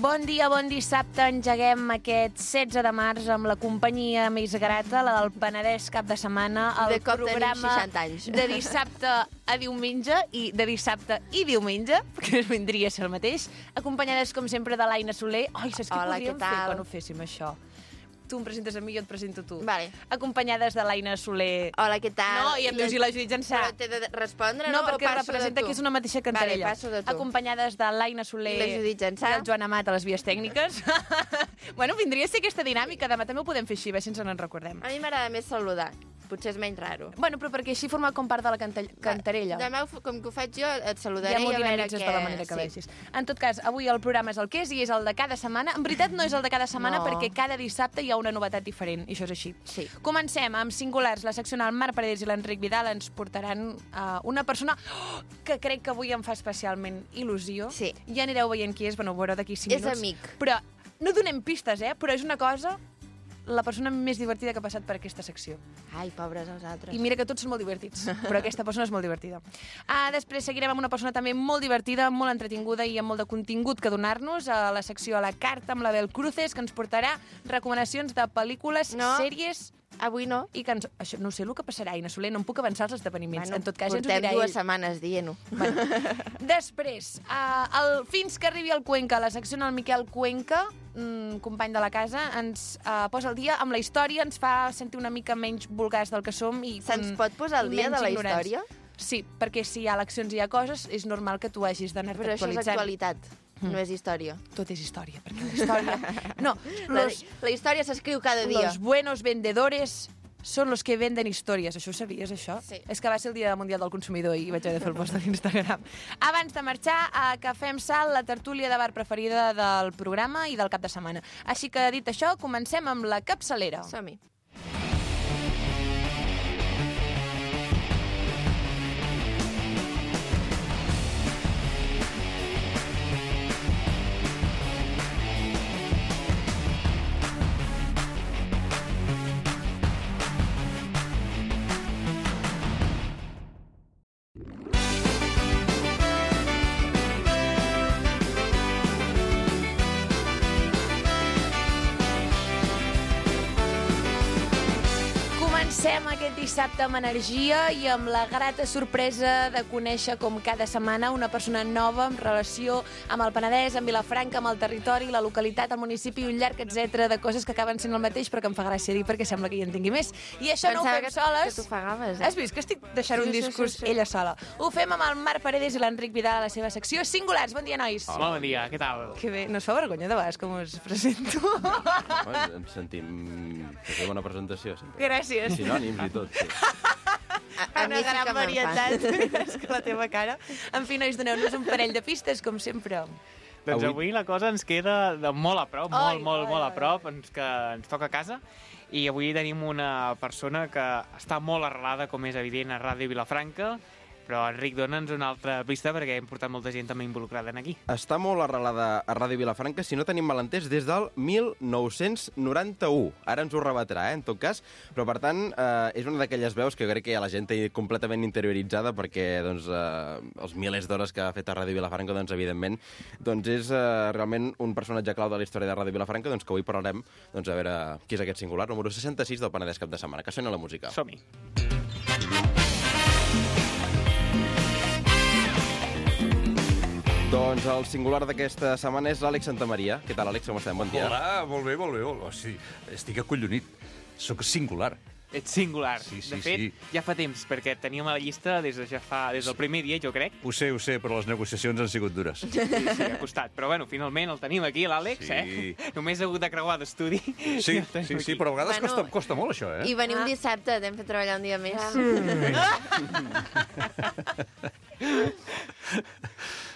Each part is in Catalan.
Bon dia, bon dissabte. Engeguem aquest 16 de març amb la companyia més grata, la del Penedès cap de setmana, el programa de dissabte a diumenge i de dissabte i diumenge, que vindria a ser el mateix, acompanyades, com sempre, de l'Aina Soler. Ai, saps què podríem fer quan ho féssim, això? Tu em presentes a mi, jo et presento a tu. Vale. Acompanyades de l'Aina Soler. Hola, què tal? No, i em dius, i la Judit Jansà. Però t'he de respondre, no? No, perquè representa que és una mateixa cantarella. Vale, passo de tu. Acompanyades de l'Aina Soler i la Judit Jansà. I el Joan Amat a les vies tècniques. Bueno, vindria a ser aquesta dinàmica. Demà també ho podem fer així, a veure si ens en recordem. A mi m'agrada més saludar. Potser és menys raro. Bueno, però perquè així forma com part de la cantarella. Demà, com que ho faig jo, et saludaré i a veure què... de la manera que vegis. En tot cas, avui el programa és el que és i és el de cada setmana. En veritat no és el de cada setmana perquè cada dissabte hi ha una novetat diferent, i això és així. Sí. Comencem amb Singulars. La secció el Marc Paredes i l'Enric Vidal ens portaran una persona que crec que avui em fa especialment il·lusió. Sí. Ja anireu veient qui és, bueno, ho veureu d'aquí 5 minuts. És amic. Però no donem pistes, però és una cosa... la persona més divertida que ha passat per aquesta secció. Ai, pobres els altres. I mira que tots són molt divertits, però aquesta persona és molt divertida. Després seguirem amb una persona també molt divertida, molt entretinguda i amb molt de contingut que donar-nos a la secció a la carta amb la Bel Cruces, que ens portarà recomanacions de pel·lícules, sèries... Avui no. I que això, no sé el que passarà, Aina Soler, no em puc avançar als esdeveniments. Bueno, en tot cas, ja ens ho portem dirà 2 setmanes dient-ho. Bueno. Després, fins que arribi el Cuenca, la secció en el Miquel Cuenca, company de la casa, ens posa al dia amb la història, ens fa sentir una mica menys vulgars del que som. Se'ns pot posar al dia de la història? Sí, perquè si hi ha eleccions i hi ha coses, és normal que tu hagis d'anar-te actualitzant. Però això és actualitat. No és història. Tot és història, perquè la història... No, la història s'escriu cada dia. Los buenos vendedores són los que venden històries. Això ho sabies, això? Sí. És que va ser el Dia Mundial del Consumidor i vaig haver de fer el post de l'Instagram. Abans de marxar, que fem salt la tertúlia de bar preferida del programa i del cap de setmana. Així que, dit això, comencem amb la capçalera. Som-hi. Comencem aquest dissabte amb energia i amb la grata sorpresa de conèixer com cada setmana una persona nova en relació amb el Penedès, amb Vilafranca, amb el territori, la localitat, el municipi, un llarg etcètera de coses que acaben sent el mateix però que em fa gràcia dir perquè sembla que hi en tingui més. I això no ho fem soles. Que t'ofegaves, Has vist que estic deixant un discurs ella sola? Ho fem amb el Marc Paredes i l'Enric Vidal a la seva secció Singulars. Bon dia, nois. Hola, bon dia, què tal? Que bé, no us fa vergonya de vegades com us presento? Ens sentim que fer bona presentació. Sempre. Gràcies. Sinònims i tot, sí. Una gran varietat. És que la teva cara. En fi, nois, doneu-nos un parell de pistes, com sempre. Doncs avui la cosa ens queda de molt a prop, molt a prop, que ens toca a casa. I avui tenim una persona que està molt arrelada, com és evident, a Ràdio Vilafranca. Però, Enric, dona'ns una altra pista perquè hem portat molta gent també involucrada en aquí. Està molt arrelada a Ràdio Vilafranca, si no tenim malentès, des del 1991. Ara ens ho rebatrà, en tot cas. Però, per tant, és una d'aquelles veus que jo crec que ja la gent té completament interioritzada perquè doncs, els milers d'hores que ha fet a Ràdio Vilafranca, doncs, evidentment, doncs és realment un personatge clau de la història de Ràdio Vilafranca, doncs, que avui parlarem doncs, a veure qui és aquest singular, número 66 del Penedès cap de setmana. Que sona la música. Som-hi. Doncs el singular d'aquesta setmana és l'Àlex Santamaria. Què tal, Àlex? Com estem? Bon dia. Hola, molt bé. Oh, sí, estic acollonit. Soc singular. Ets singular. Sí, de fet, ja fa temps, perquè teníem a la llista des del primer dia, jo crec. Ho sé, però les negociacions han sigut dures. Sí, ha costat. Però, bueno, finalment el tenim aquí, l'Àlex, Només ha hagut de creuar d'estudi. Sí, però a vegades costa molt, això, I venir un dissabte, t'hem fet treballar un dia més.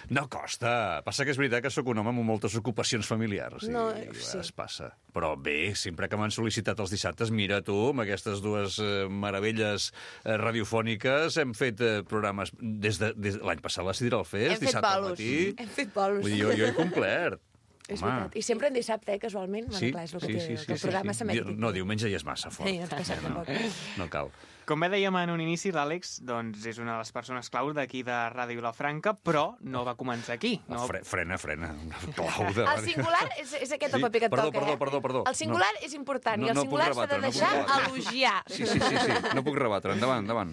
No costa. Passa que és veritat que sóc un home amb moltes ocupacions familiars. No, sí. Es passa. Però bé, sempre que m'han sol·licitat els dissabtes, mira tu, amb aquestes dues meravelles radiofòniques, hem fet programes des de l'any passat, la Sideral Fest, dissabte al matí. Hem fet bolos. Vull dir, jo he complert. És veritat. I sempre en dissabte, casualment. Sí, Clar, és el que té, que el programa s'emeti. No, diumenge ja és massa fort. Sí, ens passem tampoc. No cal. Com bé dèiem en un inici, l'Àlex doncs, és una de les persones claus d'aquí de Ràdio Vilafranca, però no va començar aquí. No... Frena. Clau de... El singular és aquest el paper que et toca, Perdó. El singular és important i el singular s'ha de deixar elogiar. Sí. No puc rebatre. Endavant.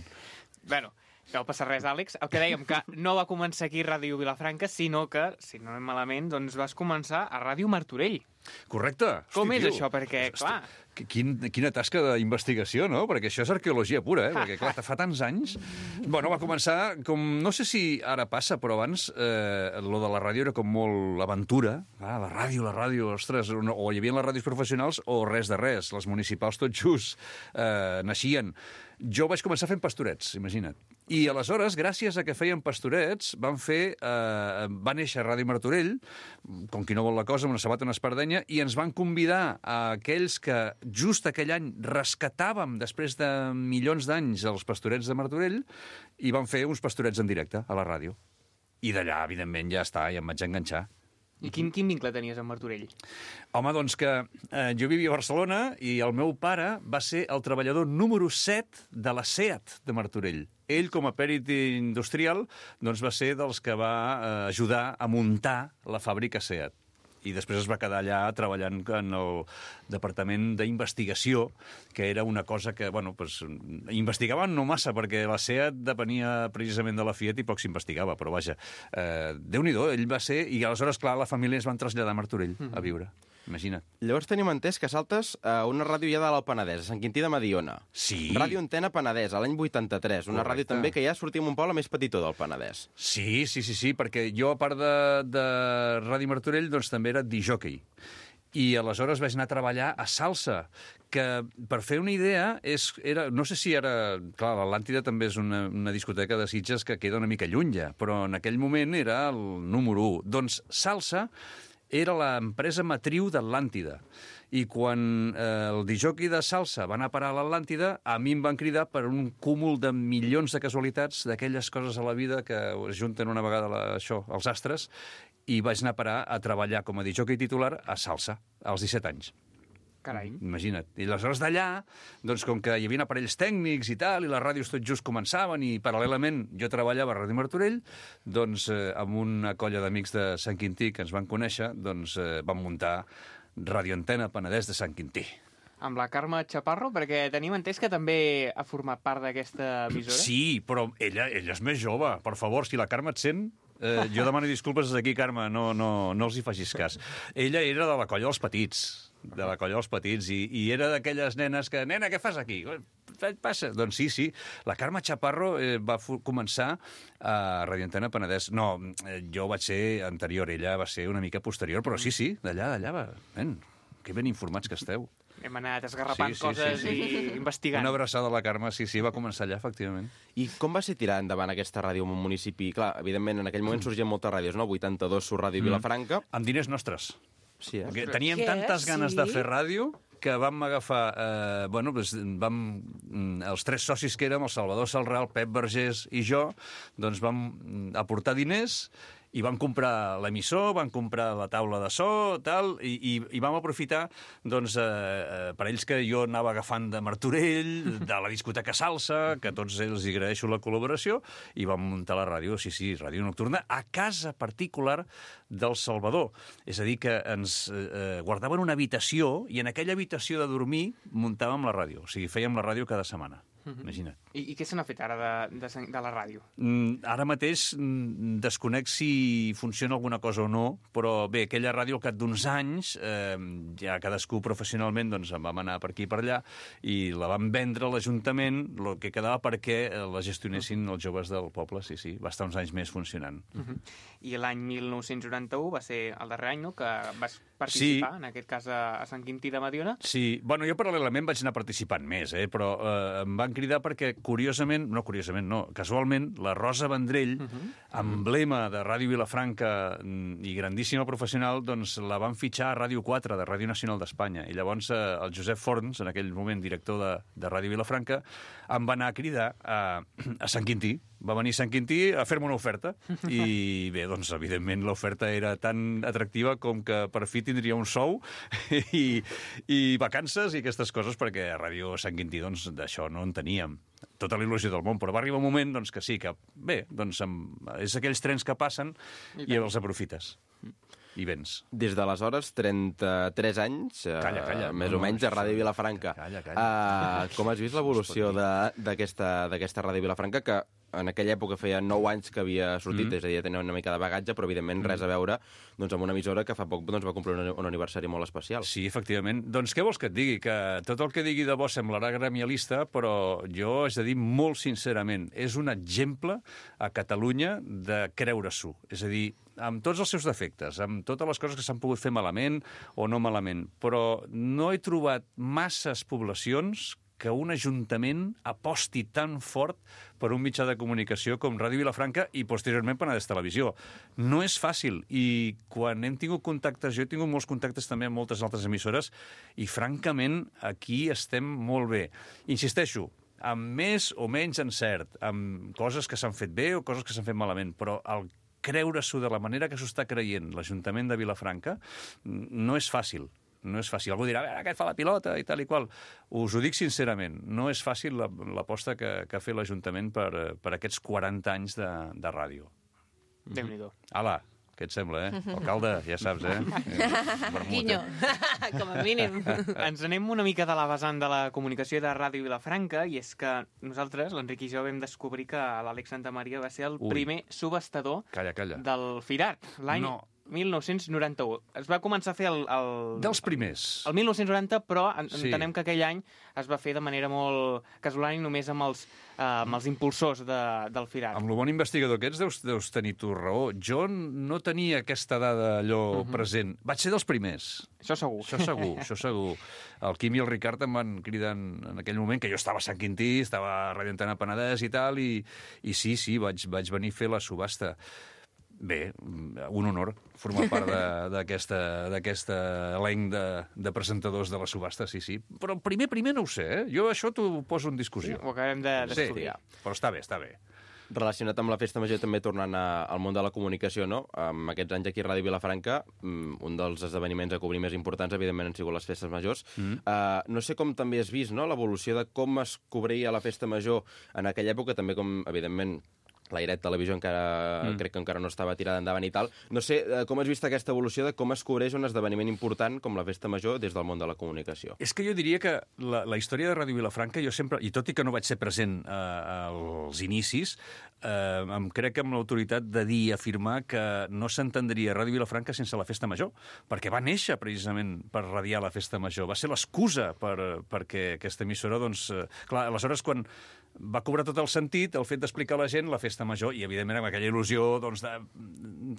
Bueno, no passa res, Àlex. El que dèiem, que no va començar aquí a Ràdio Vilafranca, sinó que, si no anem malament, doncs vas començar a Ràdio Martorell. Correcte. Com és això? Perquè, clar... Quina tasca d'investigació, no? Perquè això és arqueologia pura, Perquè, clar, fa tants anys... Bueno, va començar com... No sé si ara passa, però abans lo de la ràdio era com molt aventura. La ràdio, ostres, o hi havia les ràdios professionals o res de res. Les municipals tot just naixien. Jo vaig començar fent pastorets, imagina't. I aleshores, gràcies a que feien pastorets, va néixer Ràdio Martorell, com qui no vol la cosa, amb una sabata i una espardenya, i ens van convidar a aquells que just aquell any rescatàvem, després de milions d'anys, els pastorets de Martorell, i van fer uns pastorets en directe a la ràdio. I d'allà, evidentment, ja em vaig enganxar. I quin vincle tenies amb Martorell? Home, doncs que jo vivia a Barcelona i el meu pare va ser el treballador número 7 de la SEAT de Martorell. Ell, com a pèrit industrial, doncs va ser dels que va ajudar a muntar la fàbrica SEAT. I després es va quedar allà treballant en el departament d'investigació, que era una cosa que, investigaven no massa, perquè la SEAT depenia precisament de la Fiat i poc s'investigava, però vaja, Déu-n'hi-do, ell va ser... I aleshores, clar, la família es van traslladar a Martorell a viure. Imagina't. Llavors tenim entès que saltes a una ràdio ja de l'Alt Penedès, a Sant Quintí de Mediona. Sí. Ràdio Antena Penedès, a l'any 83. Una ràdio també que ja sortia en un poble més petitó del Penedès. Sí, perquè jo, a part de Ràdio Martorell, doncs també era discjòquei. I aleshores vaig anar a treballar a Salsa, que, per fer una idea, no sé si ara... Clar, l'Atlàntida també és una discoteca de Sitges que queda una mica lluny ja, però en aquell moment era el número 1. Doncs Salsa era l'empresa matriu d'Atlàntida. I quan el discjòquei de Salsa va anar a parar a l'Atlàntida, a mi em van cridar per un cúmul de milions de casualitats, d'aquelles coses a la vida que es junten una vegada els astres, i vaig anar a parar a treballar com a discjòquei titular a Salsa, als 17 anys. Carai. Imagina't. I aleshores d'allà, doncs com que hi havia aparells tècnics i tal, i les ràdios tot just començaven, i paral·lelament jo treballava a Ràdio Martorell, doncs amb una colla d'amics de Sant Quintí que ens van conèixer, doncs vam muntar Ràdio Antena Penedès de Sant Quintí. Amb la Carme Chaparro, perquè tenim entès que també ha format part d'aquesta emissora. Sí, però ella és més jove. Per favor, si la Carme et sent, jo demano disculpes des d'aquí, Carme, no els hi facis cas. Ella era de la colla dels petits, i era d'aquelles nenes que... Nena, què fas aquí? Passa. Doncs sí. La Carme Chaparro va començar a Ràdio Antena Penedès. No, jo vaig ser anterior, ella va ser una mica posterior, però sí, d'allà va. Que ben informats que esteu. Hem anat esgarrapant coses i investigant. Una abraçada a la Carme, sí, va començar allà, efectivament. I com va ser tirar endavant aquesta ràdio en un municipi? Clar, evidentment, en aquell moment sorgien moltes ràdios, no? 82 surt Ràdio Vilafranca. Amb diners nostres. Sí, Perquè teníem tantes ganes de fer ràdio que vam agafar... els 3 socis que érem, el Salvador Salral, Pep Vergés i jo, doncs vam aportar diners i vam comprar l'emissor, vam comprar la taula de so, tal, i vam aprofitar, doncs, parells que jo anava agafant de Martorell, de la discoteca Salsa, que a tots ells hi agraeixo la col·laboració, i vam muntar la ràdio, sí, ràdio nocturna, a casa particular del Salvador. És a dir, que ens guardaven una habitació, i en aquella habitació de dormir muntàvem la ràdio. O sigui, fèiem la ràdio cada setmana. Imagina't. I què se n'ha fet ara de la ràdio? Ara mateix desconec si funciona alguna cosa o no, però bé, aquella ràdio al cap d'uns anys, ja cadascú professionalment doncs en vam anar per aquí i per allà, i la vam vendre a l'Ajuntament, el que quedava perquè la gestionessin els joves del poble, sí, va estar uns anys més funcionant. I l'any 1991 va ser el darrer any, no?, que vas participar, en aquest cas a Sant Quintí de Mediona. Sí, bueno, jo paral·lelament vaig anar participant més, però em van cridar perquè casualment, la Rosa Vendrell, emblema de Ràdio Vilafranca i grandíssima professional, doncs la van fitxar a Ràdio 4, de Ràdio Nacional d'Espanya. I llavors el Josep Forns, en aquell moment director de Ràdio Vilafranca, em va anar a cridar a Sant Quintí. Va venir Sant Quintí a fer-me una oferta. I bé, doncs, evidentment, l'oferta era tan atractiva com que per fi tindria un sou i vacances i aquestes coses, perquè a Ràdio Sant Quintí, doncs, d'això no en teníem. Tota la il·lusió del món, però va arribar un moment, doncs, que sí, que bé, doncs, és aquells trens que passen i els aprofites. I vens. Des d'aleshores, 33 anys, Calla, més o menys, a Ràdio Vilafranca. Calla. Com has vist l'evolució d'aquesta Ràdio Vilafranca, que en aquella època feia 9 anys que havia sortit, és a dir, tenia una mica de bagatge, però evidentment res a veure doncs, amb una emissora que fa poc doncs, va complir un aniversari molt especial. Sí, efectivament. Doncs què vols que et digui? Que tot el que digui de bo semblarà gremialista, però jo haig de dir molt sincerament, és un exemple a Catalunya de creure-s'ho. És a dir, amb tots els seus defectes, amb totes les coses que s'han pogut fer malament o no malament, però no he trobat masses poblacions que un ajuntament aposti tan fort per un mitjà de comunicació com Ràdio Vilafranca i posteriorment Penedès Televisió. No és fàcil, i quan hem tingut contactes, jo he tingut molts contactes també amb moltes altres emissores, i francament aquí estem molt bé. Insisteixo, amb més o menys encert, amb coses que s'han fet bé o coses que s'han fet malament, però el creure-s'ho de la manera que s'ho està creient l'Ajuntament de Vilafranca no és fàcil. No és fàcil. Algú dirà, aquest fa la pilota i tal i qual. Us ho dic sincerament, no és fàcil l'aposta que ha fet l'Ajuntament per aquests 40 anys de ràdio. Déu-n'hi-do. Ala, què et sembla, Alcalde, ja saps, Guinyo, com a mínim. Ens anem una mica de la vessant de la comunicació de Ràdio Vilafranca, i és que nosaltres, l'Enric i jo, vam descobrir que l'Àlex Santamaria va ser el primer subhastador del Firat, l'any 1991. Es va començar a fer dels primers. El 1990, però entenem que aquell any es va fer de manera molt casolana i només amb els impulsors del Firat. Amb el bon investigador que ets deus tenir tu raó. Jo no tenia aquesta dada allò present. Vaig ser dels primers. Això segur. Això segur. El Quim i el Ricard em van cridar en aquell moment, que jo estava a Sant Quintí, estava a Ràdio Antena Penedès i tal, i sí, vaig venir a fer la subhasta. Bé, un honor formar part d'aquest elenc de presentadors de la subhasta, sí. Però primer no ho sé, Jo això t'ho poso en discussió. Ho acabem d'estudiar. Sí, però està bé. Relacionat amb la Festa Major, també tornant al món de la comunicació, no? Aquests anys aquí a Ràdio Vilafranca, un dels esdeveniments a cobrir més importants, evidentment, han sigut les Festes Majors. No sé com també has vist, no?, l'evolució de com es cobria la Festa Major en aquella època, també com, evidentment, l'Airet Televisió crec que encara no estava tirada endavant i tal. No sé com has vist aquesta evolució de com es cobreix un esdeveniment important com la Festa Major des del món de la comunicació. És que jo diria que la història de Ràdio Vilafranca, jo sempre, i tot i que no vaig ser present als inicis, em crec amb l'autoritat de dir i afirmar que no s'entendria Ràdio Vilafranca sense la Festa Major, perquè va néixer precisament per radiar la Festa Major. Va ser l'excusa perquè aquesta emissora, doncs... Clar, aleshores, quan va cobrar tot el sentit el fet d'explicar a la gent la Festa Major, i evidentment amb aquella il·lusió, doncs,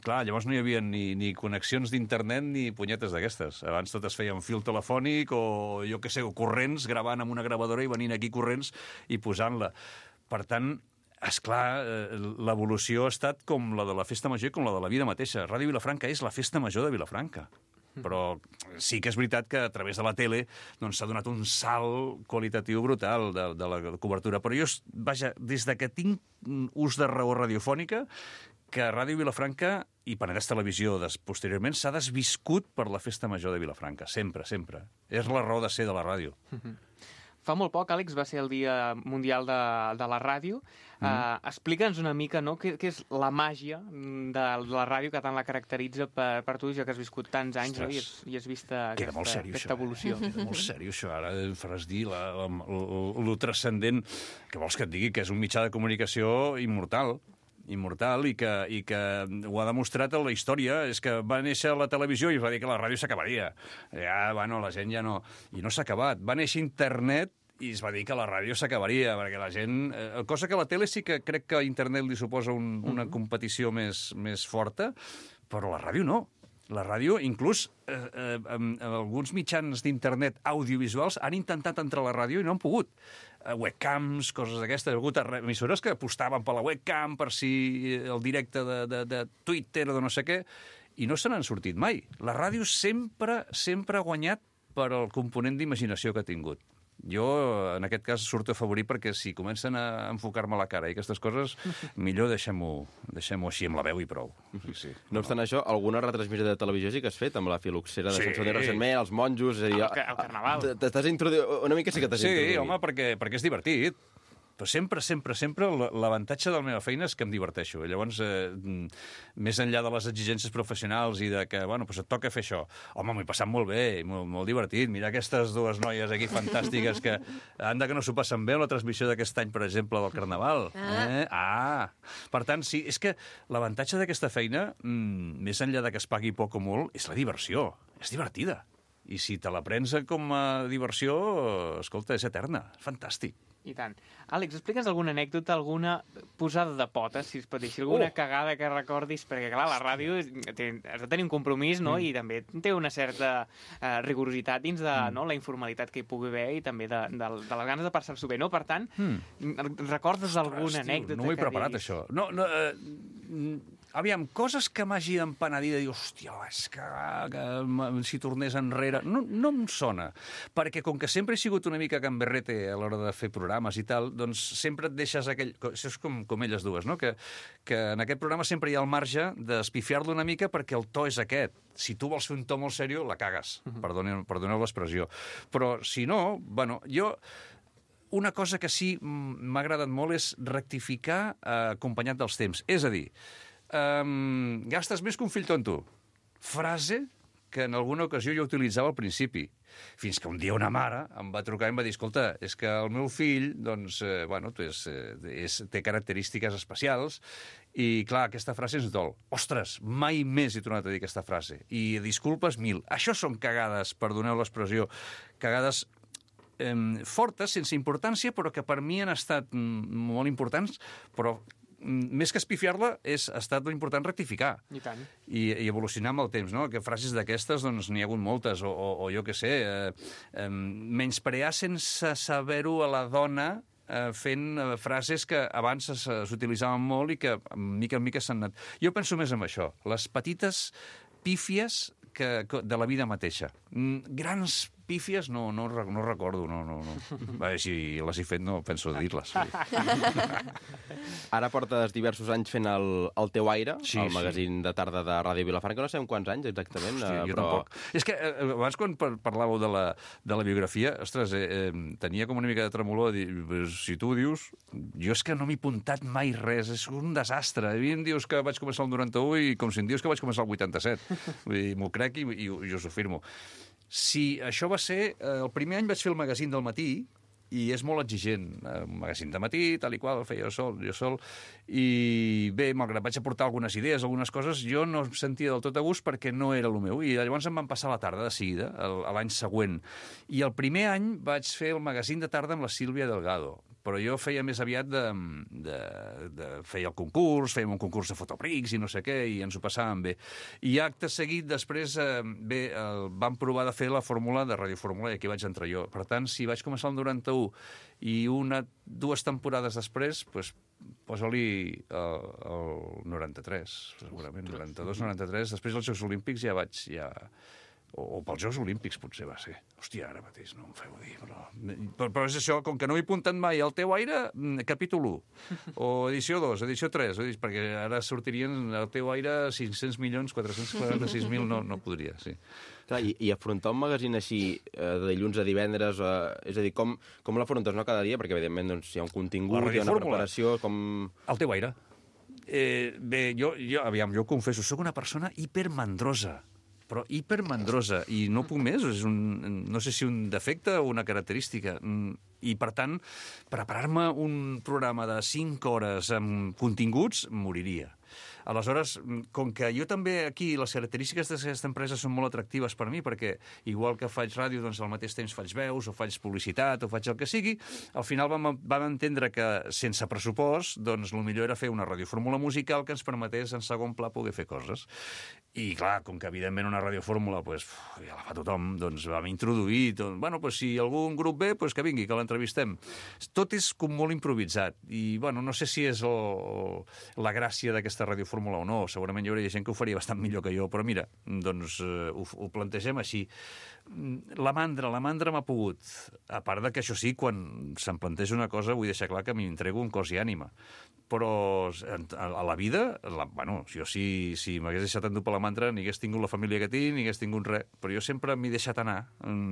clar, llavors no hi havia ni connexions d'internet ni punyetes d'aquestes. Abans tot es feia amb fil telefònic o, jo què sé, o corrents, gravant amb una gravadora i venint aquí corrents i posant-la. Per tant, esclar, l'evolució ha estat com la de la Festa Major i com la de la vida mateixa. Ràdio Vilafranca és la Festa Major de Vilafranca. Però sí que és veritat que a través de la tele doncs, s'ha donat un salt qualitatiu brutal de la cobertura. Però jo, vaja, des que tinc ús de raó radiofònica, que Ràdio Vilafranca i Penedès Televisió posteriorment s'ha desviscut per la Festa Major de Vilafranca. Sempre. És la raó de ser de la ràdio. Fa molt poc, Àlex, va ser el Dia Mundial de la Ràdio. Explica'ns una mica, no?, què és la màgia de la ràdio que tant la caracteritza per tu, ja que has viscut tants anys, no?, i has vist aquesta evolució. Queda molt seriós, això. Ara faràs dir lo transcendent. Què vols que et digui? Que és un mitjà de comunicació immortal i que ho ha demostrat a la història. És que va néixer la televisió i es va dir que la ràdio s'acabaria. La gent ja no... I no s'ha acabat. Va néixer internet i es va dir que la ràdio s'acabaria, perquè la gent... Cosa que a la tele sí que crec que a internet li suposa una competició més forta, però la ràdio no. La ràdio, inclús alguns mitjans d'internet audiovisuals han intentat entrar a la ràdio i no han pogut. Webcams, coses d'aquestes. Hi ha hagut emissores que apostaven per la webcam, per si el directe de Twitter o de no sé què, i no se n'han sortit mai. La ràdio sempre ha guanyat per el component d'imaginació que ha tingut. Jo, en aquest cas, surto afavorit perquè si comencen a enfocar-me la cara i aquestes coses, millor deixem-ho així amb la veu i prou. Sí. No obstant això, alguna retransmissió de televisió sí que has fet amb la filoxera de Sant Soler recentment, els monjos... És a dir, el Carnaval. T'estàs introduint... Una mica sí que t'has introduït. Sí, home, perquè és divertit. Però sempre, l'avantatge de la meva feina és que em diverteixo. Llavors, més enllà de les exigències professionals i de que, bueno, doncs et toca fer això, home, m'ho he passat molt bé, molt divertit. Mira aquestes dues noies aquí fantàstiques que, anda que no s'ho passen bé en la transmissió d'aquest any, per exemple, del Carnaval. Per tant, sí, és que l'avantatge d'aquesta feina, més enllà de que es pagui poc o molt, és la diversió. És divertida. I si te la prens com a diversió, escolta, és eterna. És fantàstic. I tant. Àlex, explica'ns alguna anècdota, alguna posada de potes, si es pot dir, alguna cagada que recordis, perquè, clar, la ràdio has de tenir un compromís, no?, i també té una certa rigorositat dins de la informalitat que hi pugui haver i també de les ganes de passar-s'ho bé, no? Per tant, recordes alguna anècdota? No ho he preparat, això. No, aviam, coses que m'hagi d'empenedir de dir, hòstia, és que si tornés enrere... No em sona, perquè com que sempre he sigut una mica gamberrete a l'hora de fer programes i tal, doncs sempre et deixes aquell... Això és com elles dues, no? Que en aquest programa sempre hi ha el marge d'espifiar-lo una mica perquè el to és aquest. Si tu vols fer un to molt seriós, la cagues. Perdoneu l'expressió. Però si no, bueno, jo... Una cosa que sí m'ha agradat molt és rectificar acompanyat dels temps. És a dir, gastes més que un fill tonto. Frase que en alguna ocasió jo utilitzava al principi. Fins que un dia una mare em va trucar i em va dir, escolta, és que el meu fill, doncs, té característiques especials i, clar, aquesta frase ens dol. Ostres, mai més he tornat a dir aquesta frase. I disculpes mil. Això són cagades, perdoneu l'expressió, cagades fortes, sense importància, però que per mi han estat molt importants, però més que espifiar-la, ha estat important rectificar. I tant. I evolucionar amb el temps, no? Que frases d'aquestes, doncs, n'hi ha hagut moltes, o jo què sé, menysprear sense saber-ho a la dona fent frases que abans s'utilitzaven molt i que mica en mica s'han anat. Jo penso més en això, les petites pífies de la vida mateixa. Grans pífies no recordo, no. Si les he fet no penso dir-les. Ara portes diversos anys fent el Teu Aire, el magazín de tarda de Ràdio Vilafranca. No sabem quants anys exactament. Jo tampoc. És que abans quan parlàveu de la biografia, ostres, tenia com una mica de tremolor de dir, si tu ho dius, jo és que no m'he apuntat mai res, és un desastre. A mi em dius que vaig començar el 91 i com si em dius que vaig començar el 87. Vull dir, m'ho crec i us ho firmo. Si això va ser... El primer any vaig fer el magazín del matí i és molt exigent. Un magazín de matí, tal i qual, el feia jo sol. I bé, malgrat vaig aportar algunes idees, algunes coses, jo no em sentia del tot a gust perquè no era el meu. I llavors em van passar la tarda de seguida, l'any següent. I el primer any vaig fer el magazín de tarda amb la Sílvia Delgado. Però jo feia més aviat feia el concurs, fèiem un concurs de fotoprics i no sé què, i ens ho passàvem bé. I acte seguit, després, vam provar de fer la fórmula de Radiofórmula i aquí vaig entrar jo. Per tant, si vaig començar el 91 i dues temporades després, doncs posa-li el 93, segurament, 92-93. Després dels Jocs Olímpics ja vaig... O pels Jocs Olímpics potser va ser. Hòstia, ara mateix no em feu dir, però és això, com que no he apuntat mai al Teu Aire, capítol 1, o edició 2, edició 3, perquè ara sortirien al Teu Aire 500.446.000, no podria, sí. Clar, i afrontar un magazín així de dilluns a divendres, és a dir, com l'afrontes, no, cada dia? Perquè, evidentment, doncs, hi ha un contingut, hi ha una preparació, com... Al Teu Aire. Bé, jo confesso, sóc una persona hipermandrosa, però hipermandrosa, i no puc més, no sé si un defecte o una característica. I, per tant, preparar-me un programa de 5 hores amb continguts, moriria. Aleshores, com que jo també aquí, les característiques d'aquesta empresa són molt atractives per mi, perquè igual que faig ràdio, doncs al mateix temps faig veus, o faig publicitat, o faig el que sigui, al final vam entendre que sense pressupost, doncs el millor era fer una radiofórmula musical que ens permetés en segon pla poder fer coses. I clar, com que evidentment una radiofórmula ja la fa tothom, doncs vam introduir, si algun grup ve, que vingui, que l'entrevistem. Tot és com molt improvisat, i no sé si és la gràcia d'aquesta radiofórmula o no, segurament hi hauria gent que ho faria bastant millor que jo, però mira, doncs ho plantegem així. la mandra m'ha pogut. A part de que això sí, quan se'm planteja una cosa, vull deixar clar que m'entrego un cos i ànima. Però a la vida, jo si m'hagués deixat endur per la mandra, ni hagués tingut la família que tinc, ni hagués tingut res. Però jo sempre m'he deixat anar.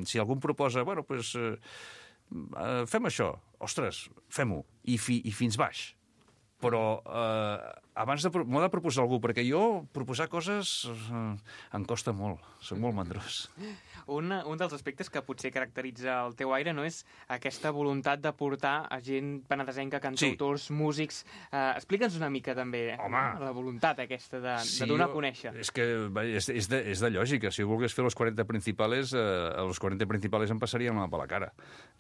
Si algú em proposa, fem això, ostres, fem-ho, i fins baix. Però abans m'ho ha de proposar algú, perquè jo proposar coses em costa molt, soc molt mandrós. Un dels aspectes que potser caracteritza el teu aire no és aquesta voluntat de portar a gent penedesenca, cantautors, músics. Explica'ns una mica també la voluntat aquesta de donar a conèixer. És que és de lògica. Si volgués fer los 40 principales, els 40 principales em passarien la mà per la cara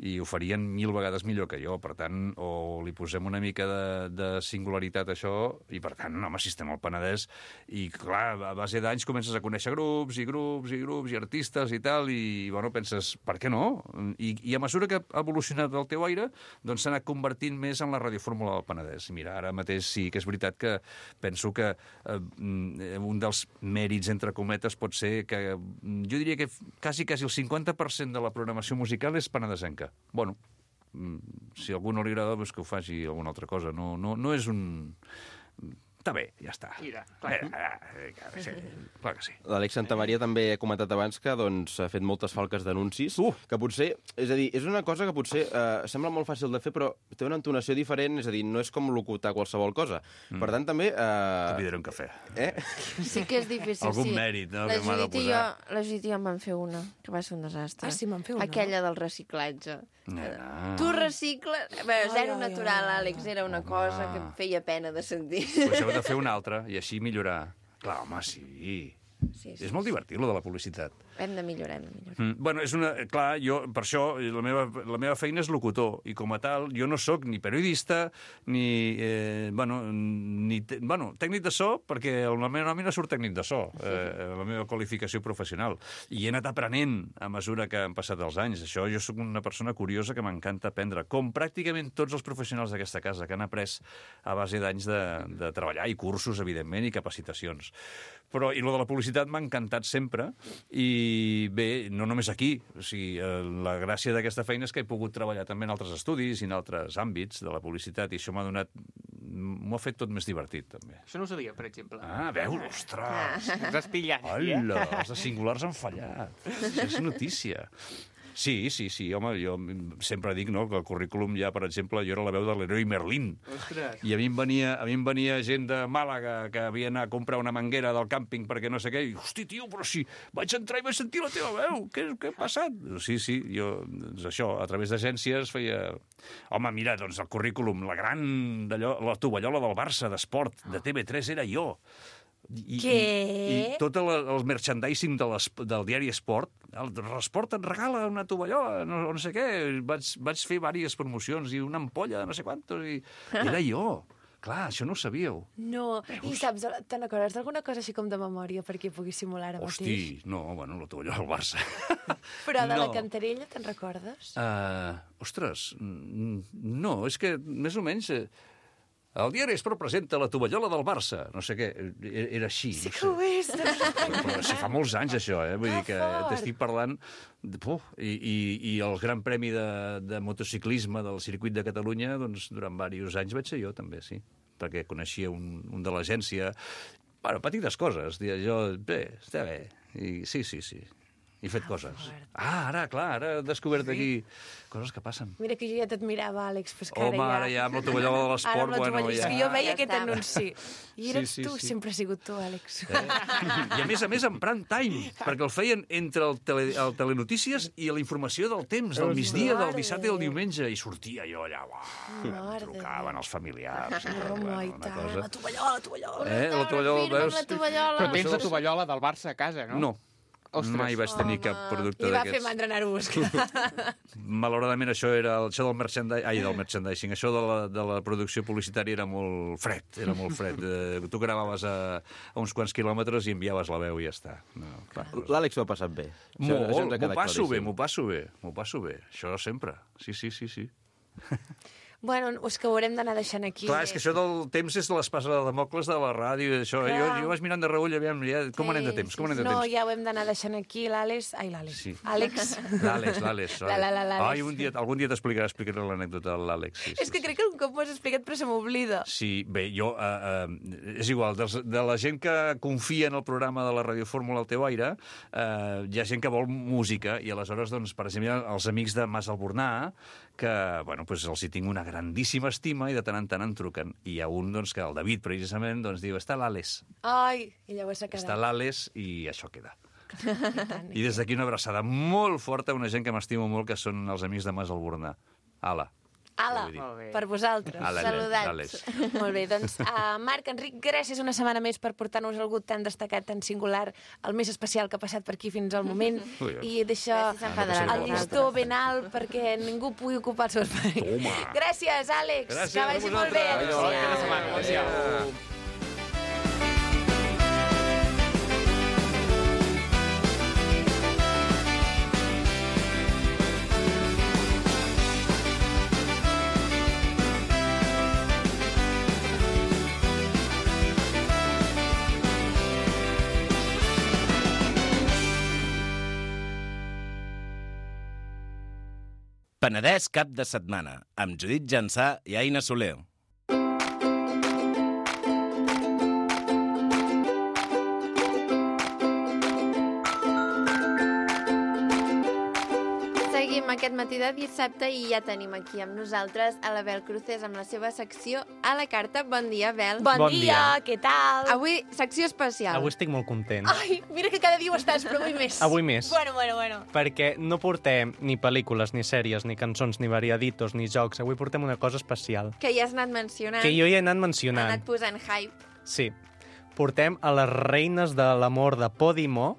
i ho farien 1000 vegades millor que jo. Per tant, o li posem una mica de singularitat a això i, per tant, home, si estem al Penedès i, clar, a base d'anys comences a conèixer grups i artistes i tal, i, penses, per què no? I a mesura que ha evolucionat el teu aire, doncs s'ha anat convertint més en la radiofórmula del Penedès. Mira, ara mateix sí que és veritat que penso que un dels mèrits, entre cometes, pot ser que jo diria que quasi el 50% de la programació musical és penedesenca. Bueno, si a algú no li agrada, doncs que ho faci alguna altra cosa. No és un... Està bé, ja està. Mira, clar. Clar que sí. L'Àlex Santamaria també ha comentat abans que ha fet moltes falques d'anuncis, que potser, és a dir, és una cosa que potser sembla molt fàcil de fer, però té una entonació diferent, és a dir, no és com locutar qualsevol cosa. Per tant, també... Convidaré un cafè. Sí que és difícil, Algun mèrit, no?, que m'ha de posar. La Judit i jo em van fer una, que va ser un desastre. Ah, sí, me'n fer una? Aquella del reciclatge. Tu recicles... Zero natural, Àlex, era una cosa que em feia pena de sentir. Pues heu de fer una altra i així millorar. Clar, home, sí. És molt divertit, lo de la publicitat. Hem de millorar. És una... Clar, jo, per això, la meva feina és locutor, i com a tal, jo no sóc ni periodista, ni tècnic de so, perquè la meva nòmina surt tècnic de so, la meva qualificació professional. I he anat aprenent a mesura que han passat els anys. Això, jo sóc una persona curiosa que m'encanta aprendre, com pràcticament tots els professionals d'aquesta casa, que han après a base d'anys de treballar, i cursos, evidentment, i capacitacions. Però, i lo de la publicitat m'ha encantat sempre, i bé, no només aquí. O sigui, la gràcia d'aquesta feina és que he pogut treballar també en altres estudis i en altres àmbits de la publicitat, i això m'ho ha fet tot més divertit, també. Això no ho sabia, per exemple. Veus, ostres! Ens has pillat. Hola, els de singulars han fallat. Això és notícia. Sí, home, jo sempre dic, no, que el currículum ja, per exemple, jo era la veu de l'heroi Merlín. Ostres. I a mi em venia gent de Màlaga que havia anat a comprar una manguera del càmping perquè no sé què, i, hosti, tio, però si vaig entrar i vaig sentir la teva veu, què ha passat? Sí, jo, doncs això, a través d'agències feia... Home, mira, doncs el currículum, la tovallola del Barça d'esport de TV3 era jo. I tot el merchandising del diari Esport, l'Esport et regala una tovallola, no sé què, vaig fer diverses promocions i una ampolla de no sé quantos, i era jo. Clar, això no ho sabíeu. No, i saps, te n'acordes d'alguna cosa així com de memòria perquè puguis simular ara mateix? Hosti, no, la tovallola del Barça. Però de la Cantarella te'n recordes? Ostres, no, és que més o menys... El diari Esport presenta la tovallola del Barça. No sé què, era així. Sí que ho és. Però si fa molts anys, això, vull dir que t'estic parlant... I el Gran Premi de motociclisme del Circuit de Catalunya, doncs, durant diversos anys vaig ser jo, també, sí. Perquè coneixia un de l'agència. Bueno, petites coses. Jo, bé, està bé. Sí. He fet coses. Ara he descobert aquí coses que passen. Mira que jo ja t'admirava, Àlex, però és que ara ja amb la tovallola de l'esport, bueno, ja... És que jo veia aquest anunci. I eres tu, sempre has sigut tu, Àlex. I a més en prime time, perquè el feien entre el Telenotícies i la informació del temps, del migdia, del dissabte i del diumenge, i sortia jo allà, trucaven els familiars. La tovallola. La tovallola, veus? Però tens la tovallola del Barça a casa, no? No. Ostres. Mai vaig tenir cap producte d'aquests. I va fer mandra anar-ho a buscar. Malauradament, això del merchandising, això de la producció publicitària era molt fred. Tu gravaves a uns quants quilòmetres i enviaves la veu i ja està. L'Àlex ho ha passat bé. M'ho passo bé. Això sempre. Sí. Bueno, és que ho haurem d'anar deixant aquí. Clar, és que això del temps és l'espasa de Damocles de la ràdio i això. Jo vaig mirant de reull, aviam, com anem de temps? No, ja ho hem d'anar deixant aquí. L'Àlex... Ai, l'Àlex. Sí. Àlex. L'Àlex. Ai, algun dia explicaré l'anècdota de l'Àlex. És que crec que un cop m'ho has explicat, però se m'oblida. Sí, bé, jo... és igual, de la gent que confia en el programa de la Ràdio Fórmula al teu aire, hi ha gent que vol música, i aleshores, doncs, per exemple, els amics de Mas Albornà, que, bueno, doncs els hi tinc una grandíssima estima i de tant en tant em truquen. I hi ha un, doncs, que el David, precisament, doncs, diu, està l'Àlex. Ai, i llavors s'ha quedat. Està l'Àlex i això queda. I des d'aquí una abraçada molt forta a una gent que m'estimo molt, que són els amics de Mas Albornà. Ala, per vosaltres. Saludats. Molt bé, doncs, Marc, Enric, gràcies una setmana més per portar-nos algú tan destacat, tan singular, el més especial que ha passat per aquí fins al moment, i deixar el llistó ben alt perquè ningú pugui ocupar el seu espai. Gràcies, Àlex. Que vagi molt bé. Adéu. Penedès cap de setmana, amb Judit Jansà i Aina Soler. Seguim aquest matí de dissabte i ja tenim aquí amb nosaltres a la Bel Cruces amb la seva secció A la Carta. Bon dia, Bel. Bon dia, què tal? Avui, secció especial. Avui estic molt content. Ai, mira que cada dia ho estàs, però avui més. Avui més. Bueno. Perquè no portem ni pel·lícules, ni sèries, ni cançons, ni variaditos, ni jocs. Avui portem una cosa especial. Que ja has anat mencionant. Que jo ja he anat mencionant. Ha anat posant hype. Sí. Portem a les reines de l'amor de Podimo,